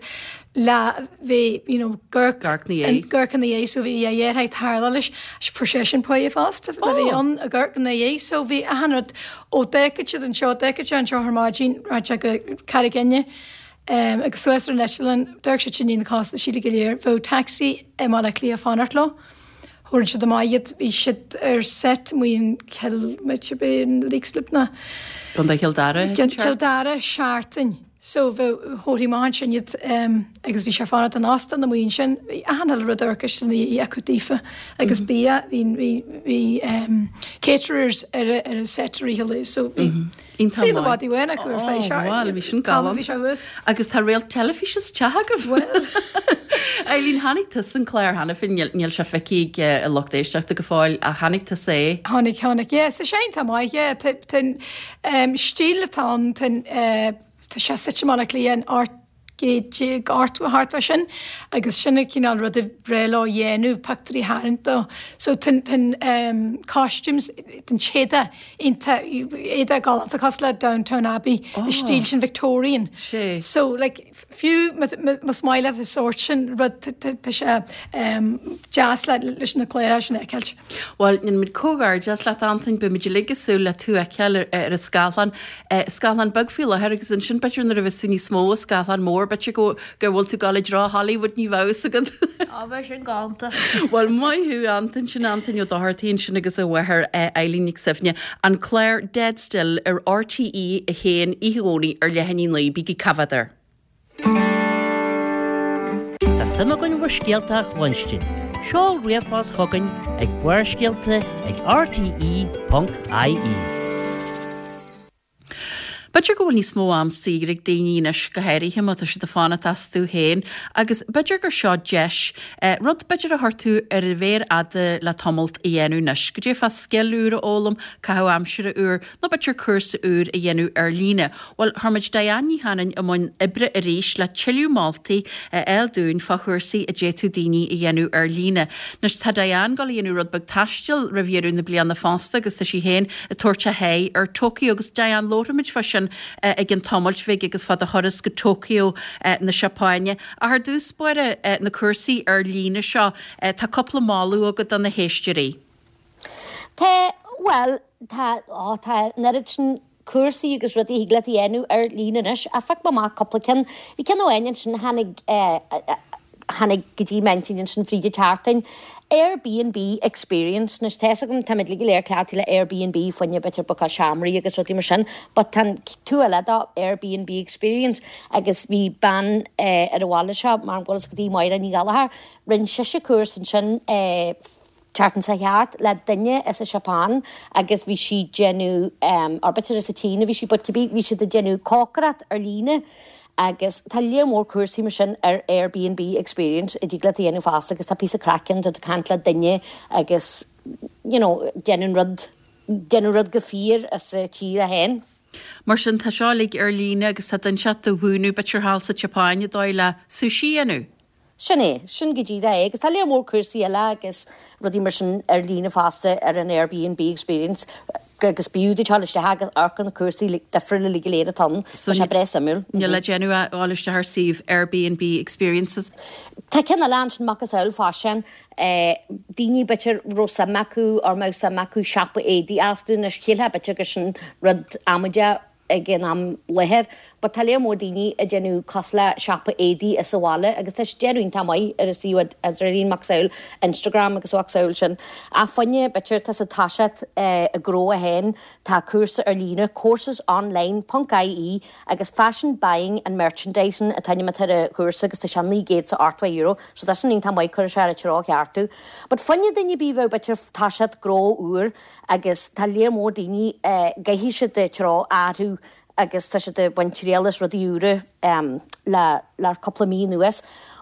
le bheith, you know, Amharc ina dhiaidh. Amharc ina dhiaidh, so bhí a dheartháir ag tarlá leis, fuair seisean páighe fosta le bheith ann ag amharc ina dhiaidh, so bhí achan rud, ó d'fhágfadh siad anseo, d'fhágfadh sé anseo ar maidin, rachadh sé go Carraig Fhinne, agus suas ar an eitleán, d'amharc siad sin i ndiaidh na costaisí go léir, bheadh taxi i mBaile Átha Cliath ag fanacht leo, thabharfadh siad amach iad, bhí siad ar set amuigh in Cill, b'fhéidir in Leixlip ná. Contae Chill Dara. Cill Dara, seachtain. So bheadh, thabharfaí amach ansin iad agus bhí sé ag fanacht in óstán amuigh ansin, bhí achan uile rud amharc ina dhiaidh acu daofa agus bia, bhí, bhí, bhí caterers ar a, ar an set i rith an lae so bhí saol i bhfad i bhfad acu ar feadh seachtain. Bhuel, bhí sin galánta. Bhí sé thuas. Agus tá réalt teilifíse sa teach agaibh. Bhuel. Eileen, chonaic tusa an clár cheana féin, níl, níl sé feicthe ag an lucht éisteachta go fóill ach chonaic tusa é? Chonaic, chonaic, yeah, tá sé iontach maith, yeah, tá, tá, Stíl atá ann, tá sé suite i mBaile Átha Cliath in 1880 thart fá sin agus sin an cineál rud a breá leo a dhéanamh, pictiúirí a tharraingt dó. So tá an costumes, an t-éadach iontach, éadach galánta cosúil le Downton Abbey, an stíl sin Victorian. So like fiú más maith leat an sórt sin rud tá sé deas leis na cláracha sin a fheiceáilt. Bhuel, déanaimid comhghairdeas leat, Antain. Beimid uilig ag súil le tú a fheiceáil ar an scáileán. Scáileán beag faoi láthair agus ansin b'fhéidir nuair a bheas tú níos mó, scáileán mór, b'fhéidir go go bhfuil tú ag dul i dtreo Hollywood, ní bheadh fhios agat. Á, bheadh sin galánta. Bhuel, maith thú, Antain. Sin Antain Ó Dochartaigh ansin agus a mháthair Eileen Nic Suibhne. An clár Dead Still ar RTÉ 1 oíche Dhomhnaigh ar leath i ndiaidh a 9. Bígí ag coimhéad air. Tá suim againn bhur scéalta a chluinstin. Seol ríomhphost chugainn ag Barrscéalta ag rte.ie. B'fhéidir go bhfuil níos mó am saor ag daoine anois, go háirithe má tá siad ag fanacht astu féin, agus b'fhéidir gur seo deis, rud b'fhéidir a chuir tú ar an mhéar fhada le tamalt a dhéanamh anois. Go dté fá scil úr a fhoghlaim, caitheamh aimsire úr, nó b'fhéidir cúrsa úr a dhéanamh ar líne. Bhuel, chuir muid Diane Ní Chanainn i mbun oibre arís le tuilleadh moltaí a fháil dúinn fá chúrsaí a d'fhéadfadh daoine a dhéanamh ar líne. Anois, tá Diane ag dul a dhéanamh rud beag taistil roimh dheireadh na bliana fosta agus tá sí féin ag tabhairt a haghaidh ar Tokyo agus Diane, labharfaimid fá sin i gcionn tamailt bhig agus fá do thuras go Tokyo na Seapáine. Ach ar dtús báire, na cúrsaí ar líne seo, tá cúpla moladh agat do na héisteoirí. Tá, bhuel, tá, á, tá an oiread sin cúrsaí agus rudaí a thig leat a dhéanamh ar líne anois. Ach phioc mé amach cúpla ceann. Bhí ceann amháin ansin a tháinig, tháinig go dtí m'intinn ansin fríd an tseachtain. Airbnb Experience. Anois tá fhios agam, táimid uilig go léir cleachtaithe le Airbnb, fá choinne b'fhéidir bookáil seomraí agus rudaí mar sin, but tá an taobh eile de Airbnb Experience agus bhí bean ar an bhaile seo, mar go bhfuil fhios agat í, Máire Ní Ghallchóir, rinne sise cúrsa ansin, tseachtain seo thart le duine as an Seapáin agus bhí sí déanamh or b'fhéidir as an tSín a bhí sí but cibé bhí siad ag déanamh cócaireacht ar líne agus tá léar mór cúrsaí mar sin ar Airbnb Experience a dtig leat a dhéanamh fosta agus tá píosa craic ann tá tú ag caint le duine agus you know déanamh rud déanamh rud go fíor as a tír é féin. Mar sin tá seo uilig ar líne agus tá duine inteacht do mhúineadh b'fhéidir thall sa tSeapáin an dóigh le sushi a dhéanamh. Sin é, sin go díreach é. Agus tá léar mór cúrsaí eile agus rudaí mar sin ar líne fosta ar an Airbnb Experience agus b'fhiú duit dul isteach agus amharc ar na cúrsaí difriúla uilig go léir atá ann. Tá sé breá suimiúil. Níl le déanamh ach dul isteach ar suíomh Airbnb Experiences. Tá ceann eile ansin, macasamhail faisean, daoine b'fhéidir raibh suim acu or mbeadh suim acu siopa éadaí a osclú anois, shílfeá b'fhéidir gur sin rud amaideach. ag an am láthair but tá léar mór daoine ag déanamh cosúil le siopa éadaí as an bhaile agus tá siad déanamh iontach maith ar an suíomh idirlín macasamhail Instagram agus a mhacasamhail sin. Ach fá choinne b'fhéidir tá siad ag toiseacht a ngnó féin tá cúrsa ar líne coursesonline ponc ie agus Fashion Buying and Merchandising an t-ainm atá ar an chúrsa agus tá sé €980 so tá sin iontach maith cuirfidh sé ar an treo cheart thú. But fá choinne duine ar bith a bheadh b'fhéidir ag toiseacht gnó úr agus tá léar mór daoine gcaithfidh siad an treo a athrú agus tá siad ag baint triail as rudaí úra le le cúpla mí anuas.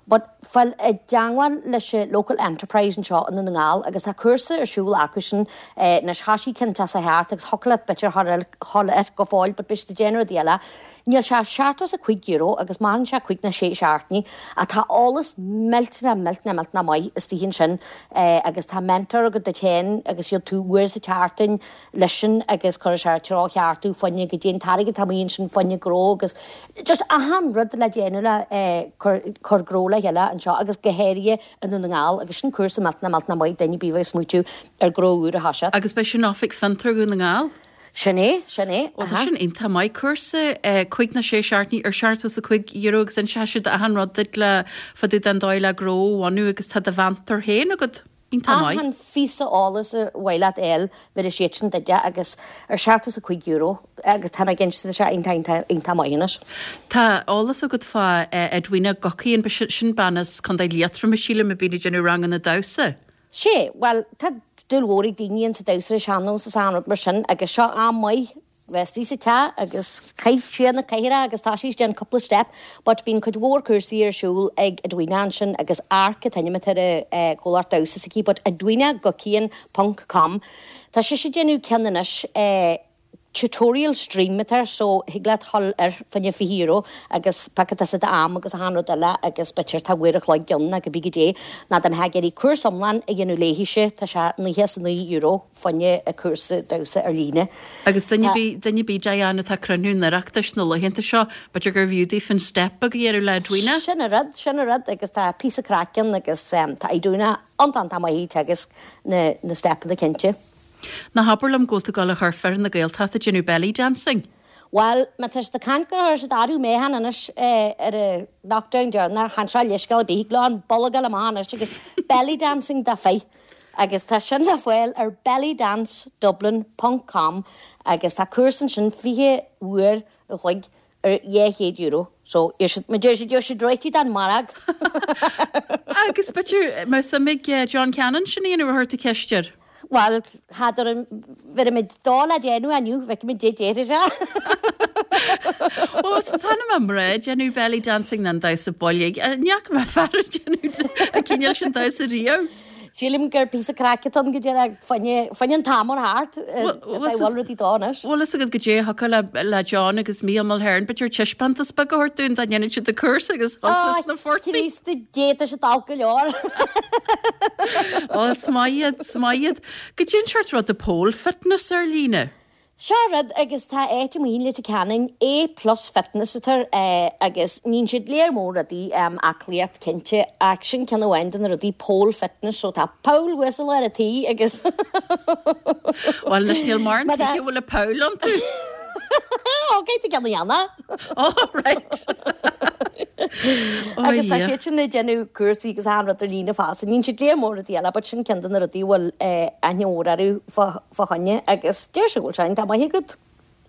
But fáil i dteangmháil leis an local enterprise anseo i nDún na nGall agus tá cúrsa ar siúl acusan anois thoisigh ceann deas a theacht agus thiocfadh leat b'fhéidir dhul air go fóill but beidh siad ag déanamh rudaí eile. Níl sé ach €75 agus maireann sé cúig nó sé seachtainí ach tá eolas millteanach millteanach millteanach maith istigh ansin agus tá mentor agat duit féin agus gheobhaidh tú uair sa tseachtain leisean agus cuirfidh sé ar an treo cheart thú fá choinne goidé an t-airgead atá amuigh ansin fá choinne gnó agus just achan rud le déanamh le cur cur gnó le chéile anseo agus go háirithe i nDún na nGall agus sin cúrsa millteanach millteanach maith duine ar bith a bheadh ag smaoitiú ar gnó úr a thoiseacht. Agus beidh sin Oifig Fiontar Dhún na nGall? Sin é, sin é, Ó tá sin iontach maith. Cúrsa cúig nó sé seachtainí ar €75 agus inseoidh siad achan rud duit le fá dtaobh den dóigh le gnó a bhunú agus tá do mheantóir féin agat. Iontach maith. Achan phíosa eolais ar mhaith leat a fháil bhéarfaidh siad sin duit é agus ar €75 agus tá mé ag inse tá sé iontach iontach iontach maith anois. Tá eolas agat fá Edwina Guckian, sin bean as Contae Liatroma sílim a bhíonn ag déanamh ranganna damhsa. Sea, bhuel, tá dúil mhór ag daoine insa damhsa ar an sean-nós is achan rud mar sin agus seo am maith bheith istigh sa teach agus caith siar na cathaoireacha agus toisigh déan cúpla step but bíonn cuid mhór cúrsaí ar siúl ag Edwina ansin agus Arc an t-ainm atá ar an chomhlacht damhsa s'aici but edwinaguckian ponc com tá sise ag déanamh ceann anois eh tutorial stream atá air so thig leat dhul air fá choinne €20 agus piocfaidh tusa d'am agus achan rud eile agus b'fhéidir tá uair a chloig ann nó cibé goidé nó dá mbeifeá ag iarraidh cúrsa iomlán a dhéanamh léithise tá sé €99 fá choinne a cúrsa damhsa ar líne. Agus duine ar bith, duine ar bith Diane atá ag cruinniú an Oireachtais na laethanta seo, b'fhéidir gurbh fhiú daofa an step beag a dhéanamh le Edwina? Sin an rud, sin an rud agus tá píosa craic ann agus tá Edwina iontach iontach maith ag teagasc na na steipeanna cinnte. Ná habair liom go bhfuil tú ag dul a chur fir na Gaeltachta ag déanamh belly dancing? Bhuel, má tá siad ag caint gur chuir siad athrú meáchain anois ar an lockdown deireanach, chan seo leithscéal ar bith, thig leo an bolg a fháil amach anois agus belly dancing do fir. Agus tá sin le fáil ar bellydancedublin ponc com agus tá cúrsa ansin 20 uair a chloig ar €200. So, iarr siad, mar deir siad, gheobhaidh siad réitithe don mhargadh. Agus b'fhéidir, má tá suim ag John Cannon sin a dhéanamh ar chuir tú ceist air? Bhuel, n'fheadar an bhféadfaimid dul le déanamh inniu, feicfimid dé déarfaidh sé. Ó, so tá na mná ag déanamh belly dancing nó an damhsa boilg. Ní fhaca mé fear ag déanamh an cineál sin damhsa riamh. Sílim gur píosa craic atá ann go díreach fá choinne an t-am ar thart bhfuil rudaí dó anois. Bhfuil fhios agat goidé a thiocfadh le John agus Mícheál Mulhern, b'fhéidir taispeántas beag a thabhairt dúinn dá ndéanfadh siad an cúrsa agus thusa sna fortaí. Chríost Dé tá siad olc go leor. Ó, is maith iad, is maith iad. Goidé an seort rud pole fitness ar líne. Seo rud agus tá áit amuigh in Leitir Ceanainn, A Plus Fitness atá air agus níonn siad léar mór rudaí, aclaíocht cinnte, ach sin ceann amháin de na rudaí pole fitness so tá poll thuas i lár an tí agus Bhuel anois níl mórán tithe a bhfuil a poll iontu. Ó caithfidh tú ceann a dhéanamh. Oh right. Oh Agus tá siad sin ag déanamh cúrsaí agus achan rud ar líne fosta. Níonn siad léar mór rudaí eile but sin ceann de na rudaí a bhfuil aithne mhór orthu fá fá choinne agus deir sé go bhfuil sé iontach maith agat.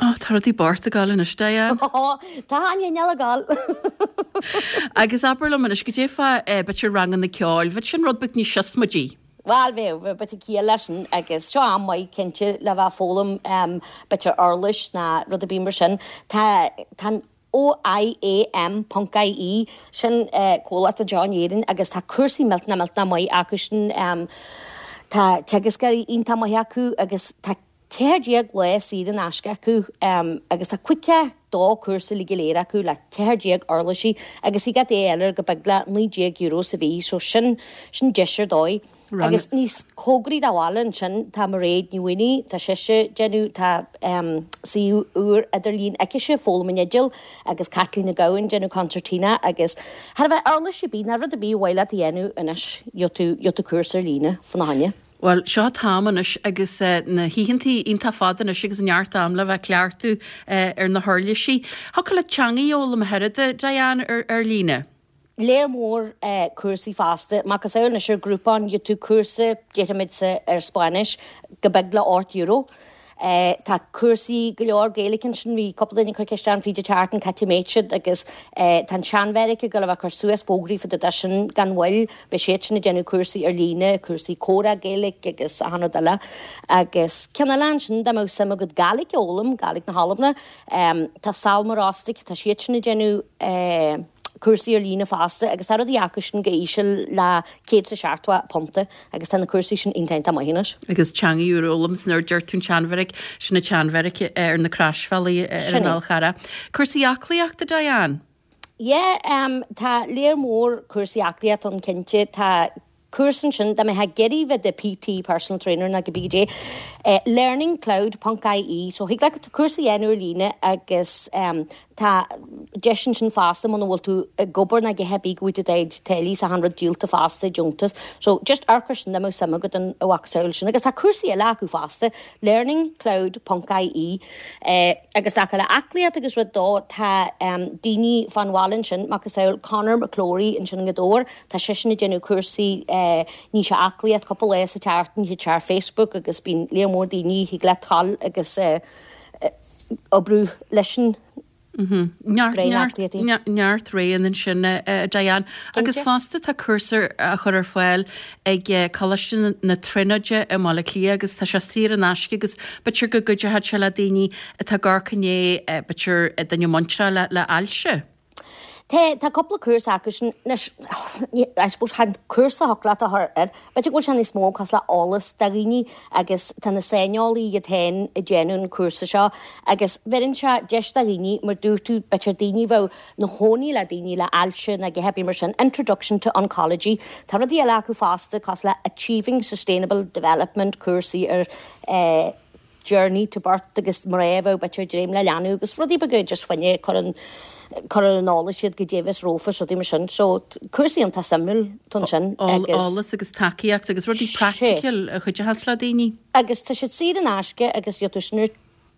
Ó, tá rudaí bocht ag gabháil anois, Diane. Ó, tá an inneall ag gabháil. Agus abair liom anois, goidé fá b'fhéidir ranganna ceoil, bheadh sin rud beag níos siosmaidí. Bhuel, bheadh, bheadh b'fhéidir ciall leis sin agus seo am maith cinnte le bheith ag foghlaim b'fhéidir uirlis ná rud ar bith mar sin. Tá, tá an OIAM ponc IE, sin comhlacht anseo in Éirinn agus tá cúrsaí millteanach millteanach maith acu sin. Tá teagascóirí iontach maith acu agus tá 14 lá saor in aisce acu agus tá 52 cúrsa uilig go léir acu le 14 uirlisí agus thig leat é a fháil ar go beag le €19 sa mhí so sin sin deis ar dóigh. Agus níos cóngaraí do bhaile ansin tá Mairéad Ní Mhaonaigh, tá sise ag déanamh, tá suíomh úr idirlín aicise, Foghlaim an Fhidil, agus Caitlín Nic Gabhann ag déanamh concertina agus thar a bheith uirlis ar bith, ná rud ar bith ar mhaith leat a dhéanamh anois, gheobhaidh tú, gheobhaidh tú cúrsa ar líne fána choinne. Bhuel, seo an t-am anois agus na hoícheantaí iontach fada anois agus neart am le bheith ag cleachtadh ar na huirlisí. Thiocfadh leat teangaidh a fhoghlaim a oiread, Diane, ar líne? Léar mór cúrsaí fosta. Macasamhail anois ar Groupon, gheobhaidh tú cúrsa, déarfaimid sa, ar Spáinnis, go beag le €8. Tá cúrsaí go leor Gaeilge ansin, bhí cúpla duine ag cur ceist orm fríd an tseachtain cá háit a mbeadh siad agus tá an tSean-Bheairic ag dul a bheith ag cur suas fógraí fá dtaobh de sin gan mhoill, beidh siad sin ag déanamh cúrsaí ar líne, cúrsaí comhrá Gaeilge agus achan rud eile. Agus ceann eile ansin dá mbeadh suim agat Gàidhlig a fhoghlaim, Gàidhlig na hAlban, tá Sabhal Mòr Ostaig, tá siad sin ag déanamh cúrsaí ar líne fosta agus tá rudaí acu sin go íseal le £170 agus tá na cúrsaí sin iontach iontach maith anois. Agus teangaidh úr a fhoghlaim 's nuair a deir tú an tSeanbheairic, sin an tSeanbheairic ar na Croisbhealaí ar an Fhál Charrach. Cúrsaí aclaíochta, Diane? Yeah, tá léar mór cúrsaí aclaíochta ann cinnte. Tá cúrsa ansin, dá mbeifeá ag iarraidh bheith i do PT, personal trainer nó cibé goidé, learningcloud ponc ie, so thig leat cúrsa a dhéanamh ar líne agus Tá deis ansin fosta muna bhfuil tú ag obair ná a dhath ar bith go bhfaighidh tú do chuid táillí is achan rud díolta fosta, deontas. So just amharc air sin dá mbeadh suim agat ina mhacasamhail sin. Agus tá cúrsaí eile acu fosta, learningcloud ponc ie. Agus dá le aclaíocht agus rud dó, tá daoine fán bhaile ansin, macasamhail Conor McClory ansin i nGaoth Dobhair, tá seisean ag déanamh cúrsaí ní sé aclaíocht cúpla lá sa tseachtain, thig sé ar Facebook agus bíonn léar mór daoine, thig leat dul agus oibriú leis an Neart, neart roghanna ansin, a Diane. Agus fosta tá cúrsa á chur ar fáil ag Coláiste na Tríonóide i mBaile Átha Cliath agus tá sé saor in aisce agus b'fhéidir go gcuideoidh sé le daoine atá ag amharc i ndiaidh b'fhéidir duine muinteartha le hailse. Tá, tá cúpla cúrsa acu sin. Anois, I suppose chan cúrsa a thiocfadh leat a chur air. B'fhéidir go bhfuil sé níos mó cosúil le eolas do dhaoine agus tá na saineolaí iad féin ag déanamh an cúrsa seo agus bheireann sé deis do dhaoine, mar dúirt tú, b'fhéidir daoine a bheadh 'na chónaí le daoine le ailse nó a dhath ar bith mar sin, Introduction to Oncology. Tá rudaí eile acu fosta cosúil le Achieving Sustainable Development, cúrsaí ar eh, journey to birth agus mná a bheadh b'fhéidir ag dréim le leanbh agus rudaí beaga just fá choinne cur an cur ar an eolas iad goidé a bheas rompu is rudaí mar sin. So cúrsaí iontach suimiúil atá ansin agus. Eolas agus tacaíocht agus rudaí praiticiúil a chuideochas le daoine. Agus tá siad saor in aisce agus gheobhaidh tú sin ar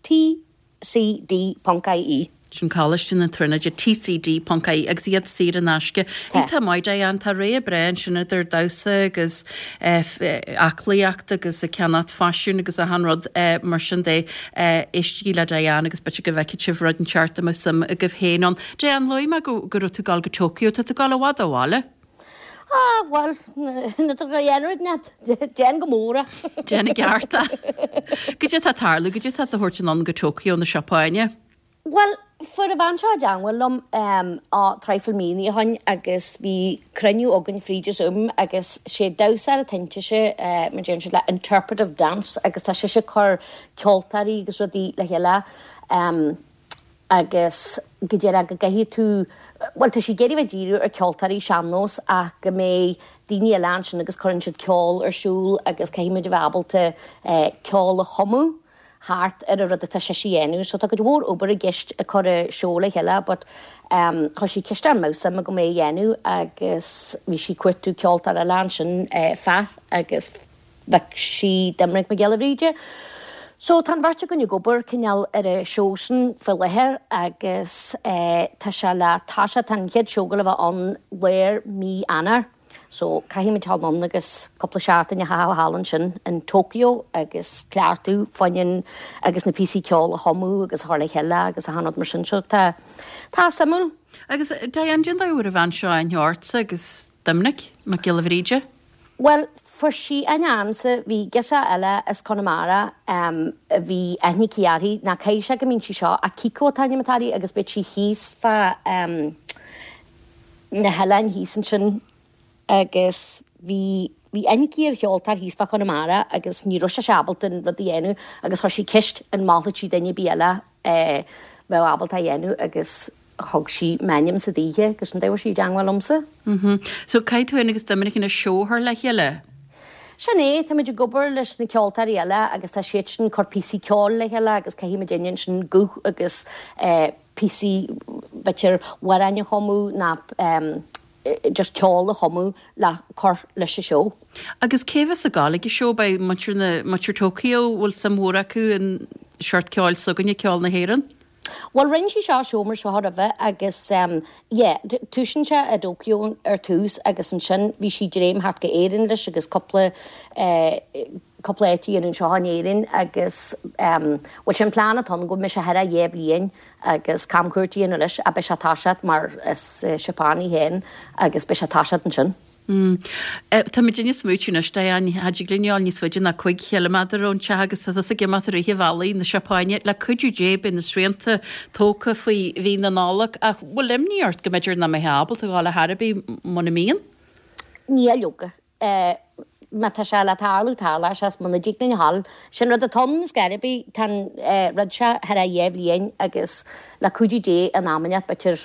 tcd ponc ie. Sin Coláiste na Tríonóide, TCD ponc ie, agus iad saor in aisce. Iontach maith, Diane, tá rogha breá ansin idir damhsa agus aclaíocht agus ag ceannacht faisiún agus achan rud mar sin de. Éistigí le Diane agus b'fhéidir go bhfeicfidh sibh rud inteacht a mbeadh suim agaibh féin ann. Diane, luaigh mé go go raibh tú ag dul go Tokyo, tá tú ag dul i bhfad ó bhaile? Ah, bhuel, na tá go dhéanamh net, déan go mór é. Déan i gceart é. Goidé tá ag tarlú, goidé tá tú a thabhairt anonn go Tokyo na Seapáine? Bhuel, fuair an bhean seo i dteangmháil liom á traidhfil míonna ó shoin agus bhí cruinniú againn fríd Zoom agus sé damhsóir atá intise, mar deireann siad le interpretive dance agus tá sise ag cur ceoltóirí agus rudaí le chéile agus go díreach go gcaithfidh tú, bhuel tá sí ag iarraidh bheith díriú ar ceoltóirí sean-nós ach go mbeidh daoine eile ansin agus cuireann siad ceol ar siúl agus caithfidh muid a bheith ábalta ceol a chumadh. thart ar an rud atá sise a dhéanamh so tá cuid mhór obair i gceist ag cur an seó le chéile but em chuir sí ceist orm an mbeadh suim agam é a dhéanamh agus bhí sí ag cuartú ceoltóir eile ansin eh fear agus bheadh sí Doimnic Mac Giolla Bhríde. So tá an bheirt againn ag obair cineál ar an seó sin faoi láthair agus eh tá sé le toiseacht tá an chéad seó ag gabháil a bheith ann lár mí Eanáir. So, caithfimid dul anonn agus cúpla seachtain a chaitheamh thall ansin in Tokyo agus cleachtadh fá choinne agus na píosaí ceoil a chumadh agus a chur le chéile agus achan rud mar sin. So, tá, tá suimiúil. Agus, Diane, cén dóigh a bhfuair an bhean seo aithne ortsa agus Doimnic Mac Giolla Bhríde? Bhuel, fuair sí aithne ormsa, bhí girseach eile as Conamara a bhí aithne aici uirthi, ná caithfidh sé go mbíonn sí seo, Akiko an t-ainm atá uirthi agus bíonn sí thíos fá na hoileáin thíos ansin agus bhí bhí aithne aici ar cheoltóir thíos fá Chonamara agus ní raibh sise ábalta an rud a dhéanamh agus chuir sí ceist an molfadh sí duine ar bith eile a bheadh ábalta a dhéanamh agus thug sí m'ainmse daoithe agus sin dóigh a bhfuair sí i dteangmháil liomsa. So caithfidh tú féin agus Doiminic an seó a chur le chéile? Sin é, táimid ag obair leis na ceoltóirí eile agus tá siad sin ag cur píosaí ceoil le chéile agus caithfidh muid ansin guth agus eh, píosaí, b'fhéidir, amhráin a chumadh ná. just ceol a chumadh le cur leis an seó. Agus cé bheas ag gabháil ag an seó? Beidh muintir na, muintir Tokyo, bhfuil suim mhór acu in seort ceoil s'againne, ceol na hÉireann? Bhuel rinne sí seo seó mar seo roimhe agus yeah, tosaíonn sé i dTokyo ar tús agus ansin bhí sí dréim thart go Éirinn leis agus cúpla eh cúpla áit a dhéanamh anseo in Éirinn agus bhuel sin plean atá ann go mbeidh sé thar a dhá bhliain agus camchuairt a dhéanamh leis ach beidh sé ag toiseacht mar is Seapánaigh í féin agus beidh sé ag toiseacht ansin. Tá muid ag smaoitiú anois, Diane, cha dtig linn a ghabháil níos faide ná 5 chiliméadar ón teach agus tá tusa ag imeacht i rith an bhealaigh na Seapáine. Le cuidiú Dé beidh na srianta tógtha faoi mhí na Nollag ach bhfuil imní ort go mb'fhéidir nach mbeifeá ábalta a ghabháil ar chor ar bith muna mbíonn? Níl, leoga. Má tá sé le tarlú, tarlóidh sé, is muna dtig linn a ghabháil. Sin rud atá ann, is gar ar bith, tá an rud seo thar a dhá bhliain agus le cuidiú Dé in am inteacht b'fhéidir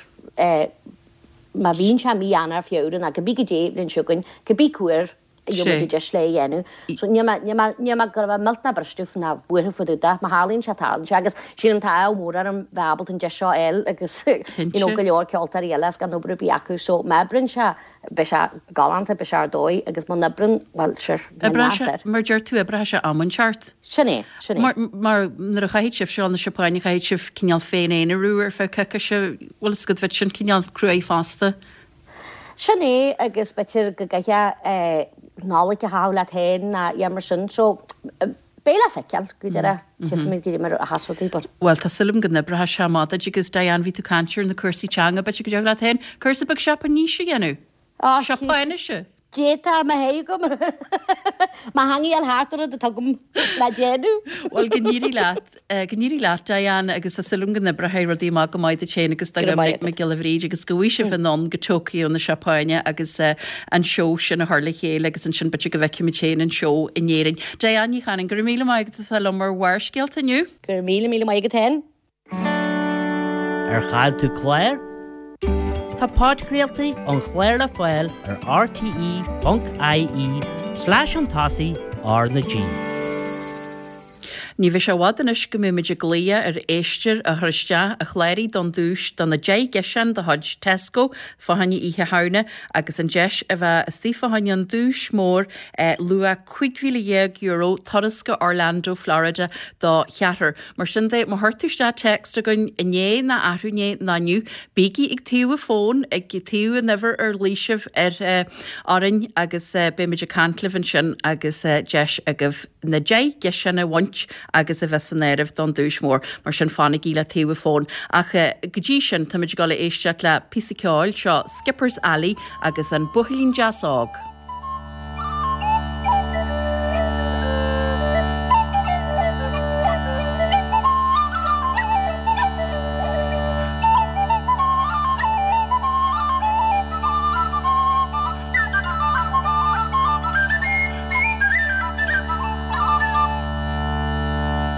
má bhíonn sé mí Eanáir, Feabhra nó cibé goidé bhliain seo chugainn, cibé cá huair a gheobhaidh muid deis le é a dhéanamh. So níl mé, níl mé, níl mé go raibh mé millteanach briste ná buartha fá dtaobh de. Má tharlaíonn sé, tarlaíonn sé agus sílim tá ádh mór orm bheith ábalta an deis seo a fháil agus you know go leor ceoltóirí eile is gan obair ar bith acu. So má oibríonn sé, beidh sé galánta, beidh sé ar dóigh agus muna oibreann, bhuel, sure, níl Oibreoidh sé, mar deir tú, oibreoidh sé am inteacht. Sin é, sin é. Mar, mar nuair a chaithfidh sibh dul na Seapáine, chaithfidh sibh cineál féin-aonarú ar feadh coicíse, bhfuil fhios agat, bheadh sin cineál cruaidh fosta. Sin é agus b'fhéidir go gcaithfeá Nollaig a chaitheamh leat féin nó a dhath mar sin, so beidh le feiceáil go deireadh, tchífimid goidé mar a sheas rudaí but. Bhuel, tá súil agam go n-oibreoidh sé amach duit agus Diane, bhí tú ag caint ar na cúrsaí teanga, b'fhéidir go dtiocfadh leat féin cúrsa beag Seapáinise a dhéanamh? Seapáinise? D'fhéadfá mo thaobh agam mo theanga a fháil thart ar rud atá agam le déanamh. Bhuel, go n-éirí leat, go n-éirí leat, Diane, agus tá súil agam go n-oibreoidh rudaí amach go maith duit féin agus do Dhoiminic Mac Giolla Bhríde agus go bhfaighidh sibh anonn go Tokyo na Seapáine agus an seó sin a chur le chéile agus ansin b'fhéidir go bhfeicfimid féin an seó in Éirinn. Diane Ní Chanainn, go raibh míle maith agat as a bheith liom ar Bharrscéalta inniu. Go raibh míle míle maith agat féin. Ar chaill tú clár? Tá podchraoltaí an chláir le fáil ar rte.ie slash chun tosaigh R na G. Ní bheidh sé i bhfad anois go mbeidh muid ag glaoch ar éisteoir a chuir isteach a chláraigh don duais do na 10 gciseán de chuid Tesco fá choinne Oíche Shamhna agus an deis a bheith istigh fá choinne an duais mór luach €15,000 turas go Orlando, Florida do cheathrar. Mar sin de, má chuir tú isteach text chugainn inné ná arú inné ná inniu, bígí ag taobh an fón, ag taobh an uimhir ar ghlaoigh sibh ar orainn agus beimid ag caint libh ansin agus deis agaibh na 10 gciseán a bhaint agus a bheith san áireamh don duais mhór. Mar sin fanaigí le taobh an fón. Ach go dtí sin, táimid ag dul a éisteacht le píosa ceoil, seo Skipper's Alley agus an Buachaillín Deas Óg.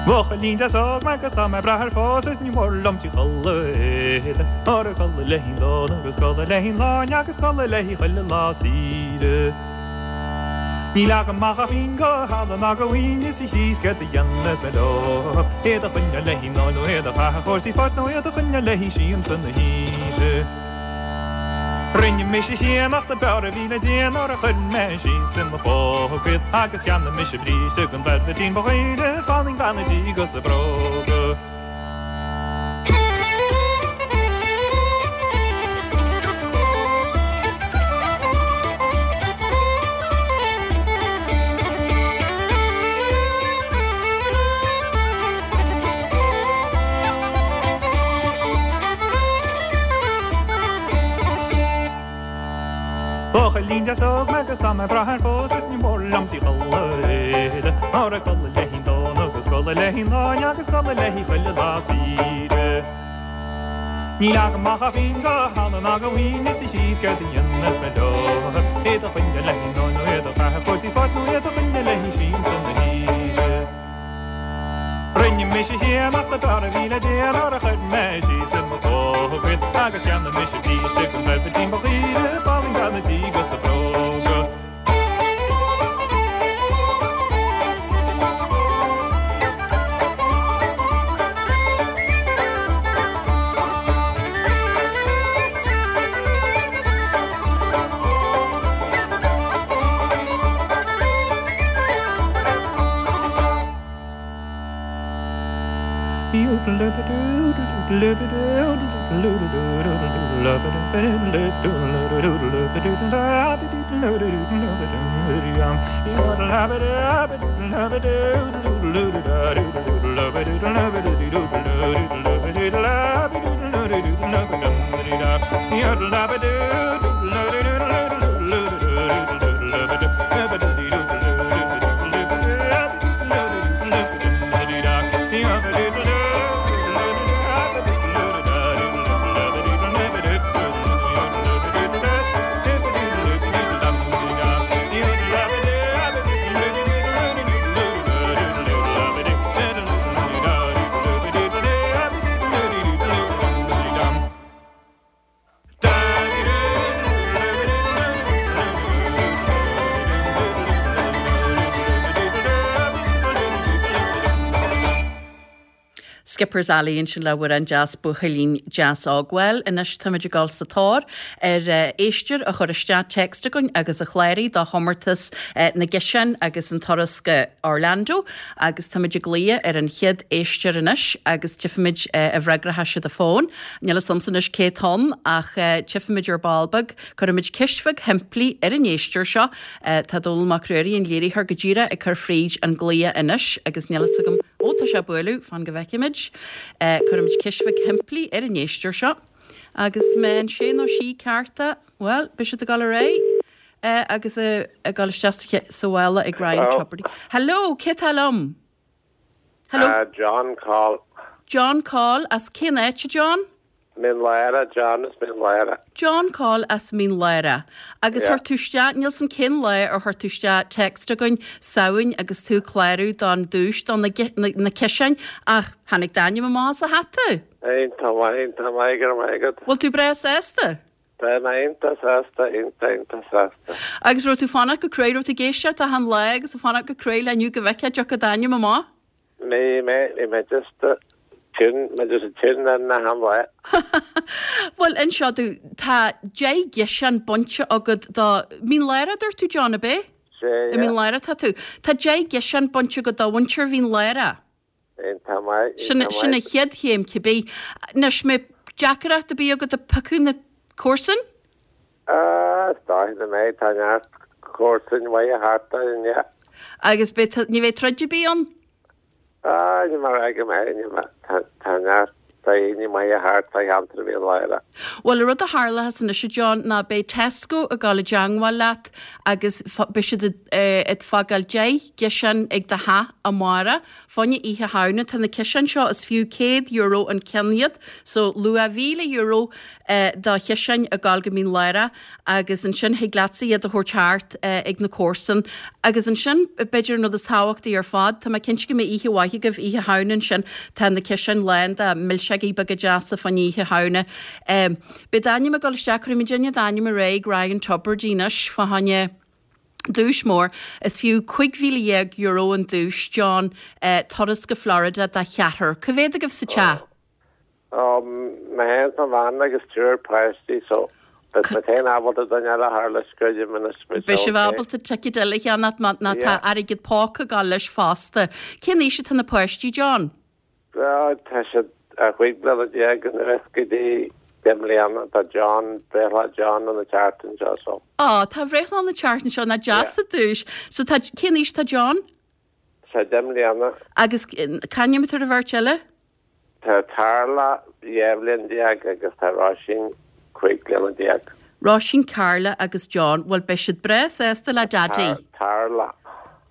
Buachaillín deas óg mé agus tá mé ag brath ar phósadh is ní mór liom tí chulaith éide Óra culaith léi donn agus culaith léi lán agus culaith léi chuile lá saoire. Níl agam ach a phingin go thalamh ná go mhaoin is a Chríost céard a dhéanfas mé leo? Iad a choinneáil le haghaidh an óil nó iad a chaitheamh ar chúrsaí spóirt nó iad a choinneáil le haghaidh siamsa na hoíche. Rinne mise cheannach do b'fhearr a bhí le déanamh nuair a chuir mé síos i mo phóca iad agus cheannaigh mise bríste den veilbhitín ba dhaoire, fallaing bean a' tí agus a bróga. Buachaillín deas óg mé agus tá mé ag brath ar phósadh is ní mór liom tí chulaith éide Óra culaith léi donn agus culaith léi lán agus culaith léi chuile lá saoire. Níl agam ach a phingin go thalamh ná go mhaoin is a Chríost céard a dhéanfas mé leo? Iad a choinneáil le haghaidh an óil nó iad a chaitheamh ar chúrsaí spóirt nó iad a choinneáil le haghaidh siamsa na hoíche. Rinne mise cheannach do b'fhearr a bhí le déanamh nuair a chuir mé síos i mo phóca iad agus cheannaigh mise bríste den veilbhitín ba dhaoire, fallaing bean a' tí agus a bróga. Skipper's Alley ansin le hamhrán deas buachaillín deas óg. Bhuel, anois táimid ag dul sa tóir ar éisteoir a chuir isteach text chugainn agus a chláraigh do chomórtas na gciseán agus an turas go Orlando agus táimid ag glaoch ar an chéad éisteoir anois agus tchífimid an bhfreagróidh siad an fón. Níl a fhios a'msa anois cé atá ann ach tchífimid ar ball beag. Cuirfimid ceist bheag shimplí ar an éisteoir seo. Tá Dónall Mac Ruairí, an léiritheoir, go díreach ag cur fríd an glaoch anois agus níl a fhios agam, ó tá sé ag bualadh, fan go bhfeicfimid. Cuirfimid ceist bheag shimplí ar an éisteoir seo agus má fhaigheann sé nó sí ceart é, bhuel, beidh siad ag dul ar aghaidh agus ag dul isteach sa mhála ag Ryan Tubridy. Hello, cé atá liom? Hello. John Coll. John Coll as cén áit a John? Mín Lárach, John as Mín Lárach. John Coll as Mín Lárach. Agus chuir tú isteach, níl 's a'm cén lá ar chuir tú isteach text chugainn, Samhain agus tú ag clárú don duais do na na ciseáin ach tháinig d'ainm amach as an hata. Iontach maith, iontach maith, go raibh maith agat. Bhfuil tú breá sásta? Tá mé iontach sásta, iontach, iontach sásta. Agus raibh tú ag fanacht go cruaidh, raibh tú ag éisteacht achan lá agus ag fanacht go cruaidh le inniu go bhfeicfeá an dtiocfadh d'ainm amach? Bhí mé, bhí mé just tune, mé just tune in achan lá. Bhuel, inis domh, tá 10 gciseán bainte agat do, Mín Lárach a dúirt tú John, ab é? Sea, yeah. I Mín Lárach atá tú. Tá 10 gciseán bainte agat do mhuintir Mhín Lárach. Iontach maith, Sin iontach sin an maith. chéad chéim cibé. Anois, an mbeidh deacaireacht ar bith agat ag piocadh na comharsan? Ah, is dóigh nach mbeidh, tá neart comharsain mhaithe thart orainn, yeah. Agus beidh, ní bheidh troid ar bith ann? Ah, níl mé ag rá go mbeidh, níl mé, tá, tá neart daoine maithe thart fá cheantar Mhín Lárach. Bhuel, an rud a tharlóchas anois, a John, ná beidh Tesco ag dul i dteangmháil leat agus beidh siad ag fágáil 10 gciseán ag do theach amárach. Fá choinne Oíche Shamhna, tá na ciseáin seo, is fiú €100 an ceann iad, so luach €1,000 do chiseáin ag dul go Mín Lárach agus ansin thig leatsa iad a thabhairt thart ag na comharsain. Agus ansin, b'fhéidir an rud is tábhachtaí ar fad, tá mé cinnte go mbeidh oíche mhaith agaibh Oíche Shamhna ansin, tá na ciseáin lán de milseogaí beaga deasa fá choinne Oíche Shamhna. Beidh d'ainm ag dul isteach, cuirfimid d'ainm ar aghaidh ag Ryan Tubridy anois fá choinne duais mór. Is fiú €15,000 an duais, John, turas go Florida do cheathrar. Cá mhéad agaibh sa teach? Ó, mé féin is mo bhean agus triúr páistí so beidh mé féin ábalta duine eile a chur leis creidim anois beidh Beidh sibh ábalta ticéad eile a cheannacht má tá Yeah. airgead póca ag dul leis fosta. Cén aois atá na páistí, John? Bhuel, tá siad 15 bliana anuas go dtí 10 mbliana. Tá John, breithlá John an tseachtain seo so. Á, tá a bhreithlá an tseachtain seo, nach deas Yeah. an duais. So tá, cén aois atá John? Tá sé 10 mbliana. Agus c'ainm atá ar an bheirt eile? Tá Carla 12 bhliain agus tá Róisín 15 bliana. Róisín, Carla agus John, bhuel beidh siad breá sásta le Daidí. Tarla.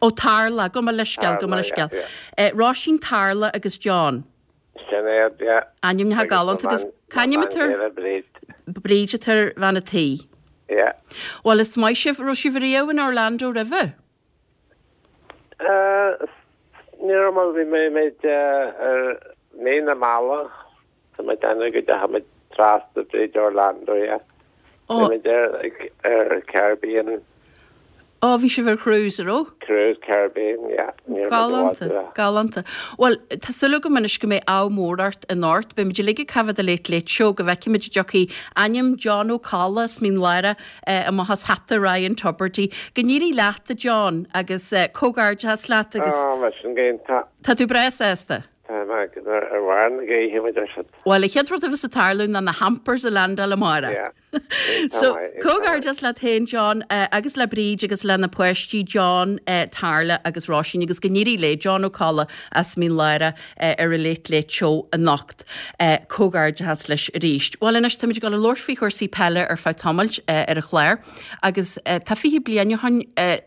Ó Tarla, gabh mo leithscéal, gabh mo leithscéal. Róisín, Tarla agus John. Sin iad, yeah. Ainmneacha galánta agus c'ainm atá ar. Bríd. Bríd atá ar bhean a' tí. Yeah. Bhuel is maith sibh, raibh sibh riamh in Orlando roimhe? Ní raibh mar bhí mé muid ar mí na meala tá mé ag déanamh go dteachaigh muid trasna fríd Orlando yeah. Bhí muid ar ar Caribbean. Ó bhí sibh ar cruise, an raibh? Cruise Caribbean yeah. Ní raibh muid i bhfad Galánta, galánta. Bhuel, tá súil agam anois go mbeidh ádh mór ort anocht. Beidh muid uilig ag coimhéad the Late Late Show go bhfeicfimid an dtiocfaidh ainm John Ó Colla as Mín Lárach amach as hata Ryan Tubridy. Go n-éirí leat, a John, agus comhghairdeachas leat agus. Á, bheadh sin go hiontach. Tá tú breá sásta? Tá mé ar bharr na gaoithe, mar a deir siad. Bhuel, an chéad rud a bheas ag tarlú ná na hampers a landáil amárach. Yeah. So, comhghairdeas leat féin, John, agus le Bríd agus le na páistí, John, Tarla agus Róisín, agus go n-éirí le John Ó Colla as Mín Lárach ar an Late Late Show anocht. Comhghairdeas leis arís. Bhuel anois, táimid ag dul a labhairt faoi chúrsaí peile ar feadh tamaill ar an chlár agus tá 20 bliain ó shin,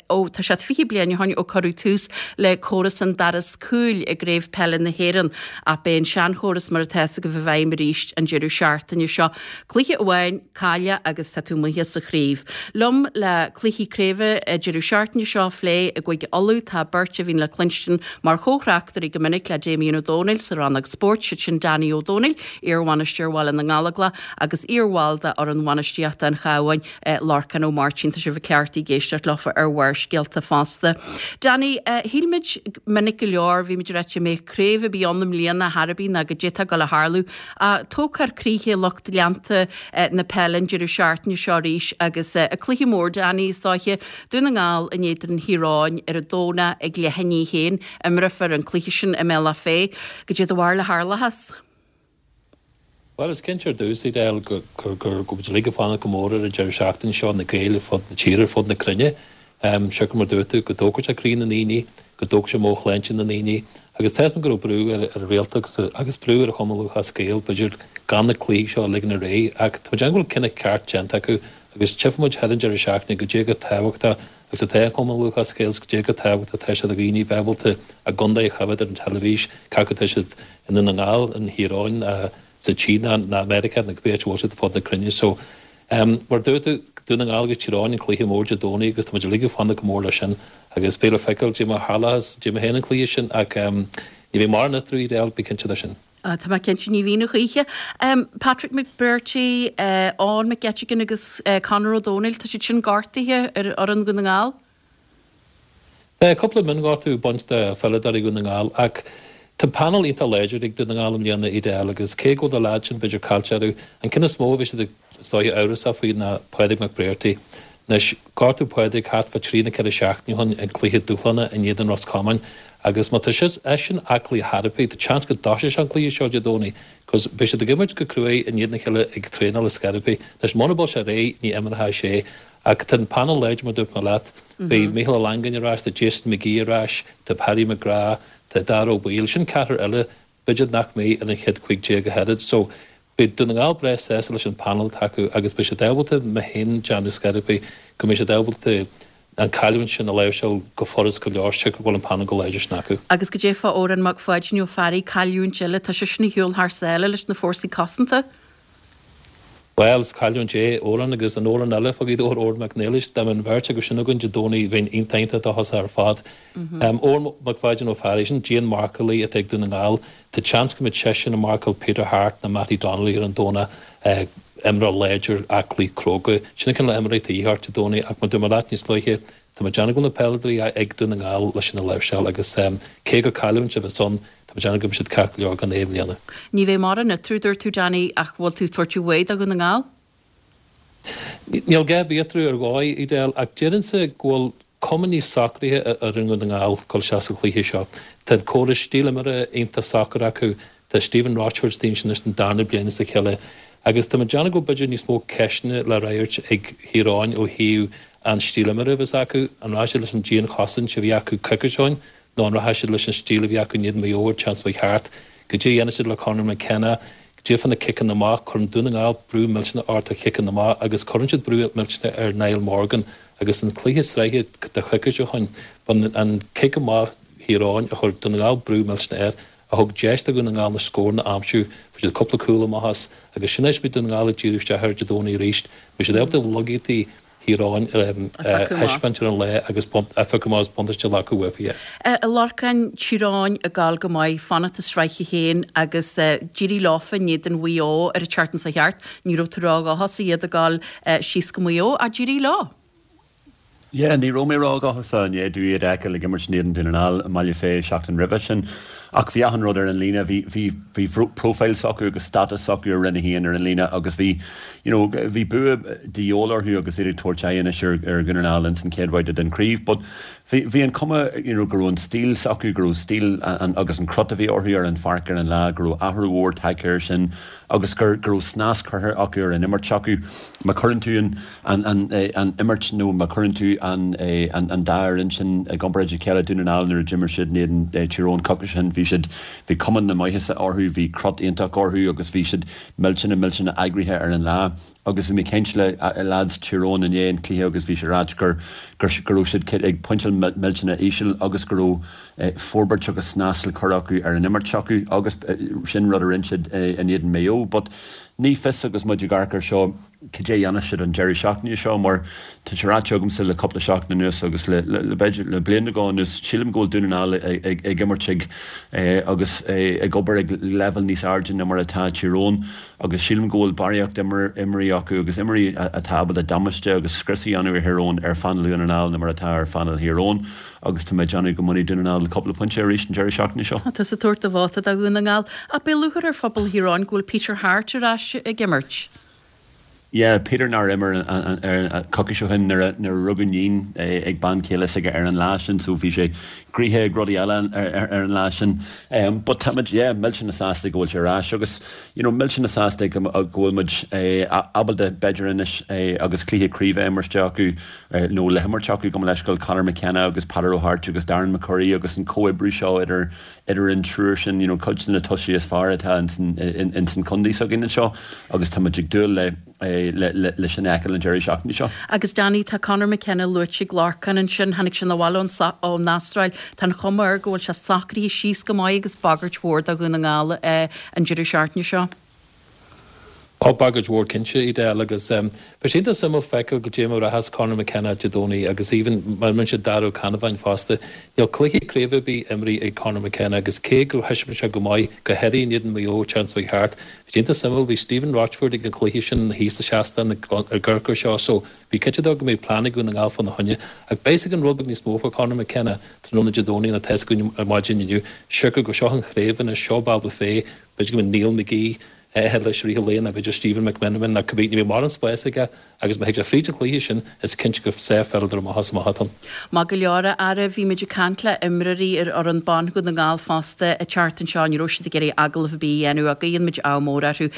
ó tá sé 20 bliain ó shin ó cuireadh tús le córas an doras cúil i gCraobh Peile na hÉireann ach beidh an seanchóras mar atá fhios agaibh i bhfeidhm arís an deireadh seachtaine seo. Cluiche amháin cailleadh agus tá tú amuigh as an chraobh. Liom le cluichí craoibhe an deireadh seachtaine seo a phlé i gCúige Uladh tá beirt a bhíonn le cluinstin mar chomh-thráchtairí go minic le Damien Ó Dónaill sa rannóg spóirt, siad sin Danny Ó Dónaill, iarbhainisteoir Bhaile na nGallóglach agus iarbhall de fhoireann bhainistíochta an Chabháin, Lorcán Ó Máirtín. Tá sibh cleachtaithe ag éisteacht leofa ar Bharrscéalta fosta. Danny, shíl muid minic go leor, bhí muid ag ráit dá mbeadh craobh ar bith ann i mbliana thar ar bith ná goidé atá ag dul a tharlú. Tógfar croíthe lucht leanta na peile an deireadh seachtaine seo arís agus an cluiche mór, Danny, is dóiche, Dún na nGall in éadan Thír Eoghain ar an Domhnach ag leath i ndiaidh a haon. Imreofar an cluiche sin i mBealach Féich. Goidé do bharúil a tharlóchas? Bhuel, is cinnte ar dtús, Edel, go bhfuil muid uilig ag fanacht go mór ar an deireadh seachtaine seo, na Gaeil ar fud na tíre, ar fud na cruinne. Siocair mar dúirt tú, go dtógfaidh sé croí na ndaoine, go dtógfaidh sé meabhairshláinte na ndaoine. Agus tá a fhios agam go raibh brú ar an rialtas agus brú ar Chumann Lúthchleas Gael, b'fhéidir, gan na cluichí seo a ligean ar aghaidh. Ach tá mé ag déanamh go bhfuil cinneadh ceart déanta acu agus tchífidh muid thar an deireadh seachtaine goidé chomh tábhachtach agus atá an Cumann Lúthchleas Gael, goidé chomh tábhachtach atá sé do dhaoine bheith ábalta a gcontae a choimhéad ar an teilifís, cé acu atá siad i nDún na nGall, in Thír Eoghain, sa tSín ná Meiriceá nó cibé áit a bhfuil siad ar fud na cruinne. So, mar a dúirt tú, Dún na nGall agus Tír Eoghain an cluiche mór Dé Domhnaigh agus tá muid uilig ag fanacht go mór leis sin agus beidh le feiceáil goidé mar a tharlóchas, goidé mar a théann an cluiche sin ach ní bheidh mórán eatarthu, Edel, bí cinnte de sin. Tá mé cinnte, ní bhíonn a choíche. Patrick McBrearty, Eoin McGettigan agus Conor Ó Domhnaill, tá siad sin gortaithe ar fhoireann Dhún na nGall? Tá cúpla mionghortú ag baint do pheileadóirí Dhún na nGall ach tá panel iontach láidir ag Dún na nGall i mbliana, Edel, agus cé go bhfuil na leaids sin b'fhéidir caillte orthu, an ceann is mó a bhí siad is dóiche amhrasach faoi ná Pádraig McBrearty. Anois, gortaíodh Pádraig thart fá trí nó ceithre seachtaine ó shin i gcluiche dúshláin in éadan Ros Comáin agus má tá seisean aclaí chor ar bith, tá seans go dtoiseoidh sé an cluiche seo Dé Domhnaigh cos beidh siad ag imirt go cruaidh i ndiaidh a chéile ag traenáil ar scor ar bith. Anois, muna bhfuil sé réidh, ní imreoidh sé. Ach tá an panel láidir mar dúirt mé leat. Beidh Mícheál Ó Longáin ar ais, tá Jason McGee ar ais, tá Paddy McGrath, tá Daire Ó Baoill, sin ceathrar eile b'fhéidir nach mbeidh ar an chéad 15 ach oiread. So beidh Dún na nGall breá sásta leis an panel atá acu agus beidh siad ábalta, mé féin déanamh scor ar bith, go mbeidh siad ábalta an cailliúint sin a láimhseáil go furast go leor siocair go bhfuil an panel chomh láidir sin acu. Agus goidé fá Odhrán Mac Pháidín Ó Fearraigh, cailliúint eile, tá seisean ar shiúl thar sáile leis na Fórsaí Cosanta. Bhuel, is cailliúint é Odhrán agus an Odhrán eile, fá Ghaoth Dobhair, Odhrán Mac Niallais, dá mbeadh an bheirt acu sin againn Dé Domhnaigh bheinn iontach iontach dóchasach ar fad. Odhrán Mac Pháidín Ó Fearraigh, sin dianmharcálaí atá ag Dún na nGall. Tá seans go mbeidh seisean ag marcáil Peter Harte nó Mattie Donnelly ar an Domhnach, imreoir láidir, aclaí, cróga. Sin an cineál imreoirí atá de dhíth ort Dé Domhnaigh ach mar dúirt mé leat níos luaithe, Tá mé ag déanamh go bhfuil na peileadóirí ag Dún na nGall leis sin a láimhseáil agus cé gur cailliúint a bheas ann, tá mé ag déanamh go mbeidh siad ceart go leor gan é i mbliana. Ní bheidh mórán eatarthu, dúirt tú, Danny, ach bhfuil tú ag tabhairt an bhuaidh do Dhún na nGall? Níl a dhath ar bith eatarthu ar dhóigh, Edel, ach déarfainnse go bhfuil cuma níos socraithe ar fhoireann Dhún na nGall dul isteach sa chluiche seo. Tá an córas stíl imeartha iontach socair acu, Tá Stephen Rochford istigh ansin anois don darna bliain as a chéile agus tá mé ag déanamh go bhfuil b'fhéidir níos mó ceisteanna le freagairt ag Thír Eoghain ó thaobh an stíl imeartha a bheas acu. An rachaidh siad leis an dianchosaint a bhí acu coicís ó shin nó an rachaidh siad leis an stíl a bhí acu in éadan Mhaigh Eo an tseachtain seo chuaigh thart? Goidé a dhéanfaidh siad le Conor McKenna? Goidé fá na ciceanna amach? Cuireann Dún na nGall brú millteanach ort ar chiceanna amach agus cuireann siad brú millteanach ar Niall Morgan agus an cluiche sraithe de choicís ó shin, b'in an cic amach Thír Eoghain a chuir Dún na nGall brú millteanach air. a thug deis do Dhún na nGall na scóranna a aimsiú, fuair siad cúpla cúl amach as agus sin é a mbeidh Dún na nGall ag díriú isteach air Dé Domhnaigh arís. Beidh siad ábalta laigeachtaí Thír Eoghain a thaispeáint ar an lá agus a phiocadh amach agus buntáiste a ghlacadh uafa, yeah. A Lorcáin, Tír Eoghain ag gabháil go maith, fanacht i sraith a haon agus d'éirigh leofa in éadan Mhaigh Eo ar an tseachtain seo chuaigh thart. Ní raibh tú ródhóchasach iad ag gabháil síos go Maigh Eo ach d'éirigh leo. Yeah, ní raibh mé ródhóchasach i ndiaidh domh iad a fheiceáil ag imirt in éadan Dún na nGall i mBaile Féith seachtain roimhe sin. Ach bhí achan rud ar an líne, bhí, bhí, bhí profile s'acu agus status s'acu ar Roinn 1 ar an líne agus bhí, you know, bhí bua de dhíobháil orthu agus iad ag tabhairt aghaidh anois ar, ar Dhún na nGall ins an chéad bhabhta den chraobh. But bhí, bhí an cuma, you know, go raibh an stíl s'acu, go raibh stíl an, agus an crut a bhí orthu ar an pháirc ar an lá, go raibh athrú mhór tagtha air sin agus gur, go raibh snas curtha acu ar an imirt s'acu. Má chuireann tú an, an, an, an imirt nó má chuireann tú an, an, an dá fhoireann sin i gcomparáid a chéile, Dún na nGall nuair a d'imir siad in éadan Tír Eoghain coicís ó shin, bhí siad, bhí cuma na maitheasa orthu, bhí crut iontach orthu agus bhí siad millteanach, millteanach eagraithe ar an lá. Agus bhí mé ag caint le lads Tír Eoghain i ndiaidh an chluiche agus bhí siad ag ráit gur, gur, go raibh siad ag pointeáil millteanach íseal agus go raibh forbairt agus snas le cur acu ar an imirt s'acu agus sin rud a rinne siad in éadan Maigh Eo. But ní fios agus muid ag amharc air seo, cad é a dhéanfas siad an deireadh seachtaine seo mar tá sé ráite agamsa le cúpla seachtain anuas agus le b'fhéidir le bliain nó dhó anuas, sílim go bhfuil Dún na nGall ag imirt ag agus ag obair ag leibhéal níos airde ná mar atá Tír Eoghain agus sílim go bhfuil barraíocht imreoirí acu agus imreoirí atá ábalta damáiste agus scrios a dhéanamh ar Thír Eoghain ar phainéal Dhún na nGall ná mar atá ar phainéal Thír Eoghain agus tá mé ag déanamh go mbainfidh Dún na nGall cúpla pointe arís an deireadh seachtaine seo. Tá tusa ag tabhairt do vóta do Dhún na nGall ach beidh lúcháir ar phobal Thír Eoghain go bhfuil Peter Harte ar ais ag imirt. Yeah, Peter nár imir coicís ó shin nuair a rugadh níon ag bean chéile s'aige ar an lá sin so bhí sé gnoitheach ag rudaí eile ar an lá sin. But táimid, yeah, millteanach sásta go bhfuil sé ar ais agus, you know, millteanach sásta go bhfuil muid ábalta b'fhéidir anois agus cluiche craoibhe a imirt acu nó le himirt acu gabh mo leithscéal Conor McKenna agus Peadar Ó hAirt agus Darren McCurry agus an comhoibriú seo idir idir an triúr sin, you know, cuid de na tosaithe is fearr atá ins an chontae s'againn anseo agus tá muid ag dúil le, le, le sin a fheiceáil an deireadh seachtaine seo. Agus Danny, tá Conor McKenna luaite ag Lorcán ansin, tháinig sé 'na bhaile ón, ón Astráil, tá an chuma air go bhfuil sé socraithe síos go maith agus bagairt mhór do Dhún na nGall an deireadh seachtaine seo. Ó, bagairt mhór cinnte, Edel, agus beidh sé iontach suimiúil feiceáil goidé mar a rachas Conor McKenna Dé Domhnaigh agus even mar a rinne sé Darragh Ó Ceannabháin fosta. Níl cluiche craoibhe ar bith imrithe ag Conor McKenna agus cé gur thaispeáin sé go maith, go háirithe in éadan Maigh Eo an tseachtain seo chuaigh thart, bhí sé iontach suimiúil, bhí Stephen Rochford ag an chluiche sin thíos sa seastán ag an gcuracóir seo so bí cinnte de go mbeidh plean ag Dún na Ngall fána choinne. Ach beidh a fhios againn rud beag níos mó fá Conor McKenna tráthnóna Dé Domhnaigh ná tá a fhios againn ar maidin inniu. Siocair gur seo an chraobh anois, seo Baile Bhuffet, B'fhéidir go mbeidh Neil McGee leis i rith an lae nó b'fhéidir Stephen McMenamin nó cibé, ní bheidh mórán spáis aige agus má thig sé fríd an chluiche sin, is cinnte gur sárpheileadóir amach is amach atá ann. Maith go leor, a fheara, bhí muid ag caint le imreoirí ar fhoireann ban Dhún na nGall fosta an tseachtain seo, ní raibh siad ag iarraidh agallamh ar bith a dhéanamh ach guíonn muid ádh mór orthu.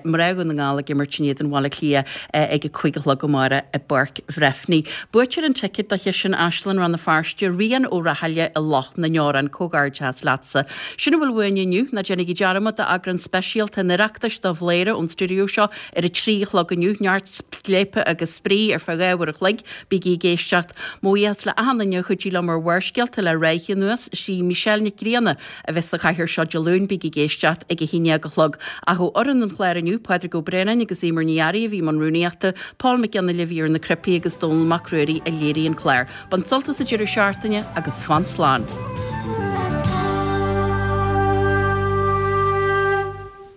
Mná Dhún na nGall ag imirt in éadan Bhaile Átha Cliath ag a 5 a chlog amárach i bPáirc Bhreifne. Buaiteoir an ticéad do sheisiún Áislann Rann na Feirste, Rian Ó Rathaille i Loch na nDeorán. Comhghairdeas leatsa. Sin a bhfuil uainn inniu. Ná déanaigí dearmad d'eagrán speisialta an Oireachtais de Bhléire ón stiúideo seo ar a 3 a chlog inniu. Neart scléipe agus spraoi ar feadh 2 uair a chloig. Bígí ag éisteacht. Mo bhuíochas le achan duine a chuidigh liom ar Bharrscéalta le ráithe anuas. Sí Michelle Nic Grianna a bheas sa chathaoir seo Dé Luain. Bígí ag éisteacht ag a 11 a chlog. Ach ó fhoireann an chláir inniu, Pádraig Ó Braonáin agus Eimear Ní Fhearraigh a bhí i mbun rúnaíochta, Paul Mac Fhionnghaile a bhí ar na cnaipí agus Dónal Mac Ruairí a léirigh an clár. Bain sult as an deireadh seachtaine agus fan slán!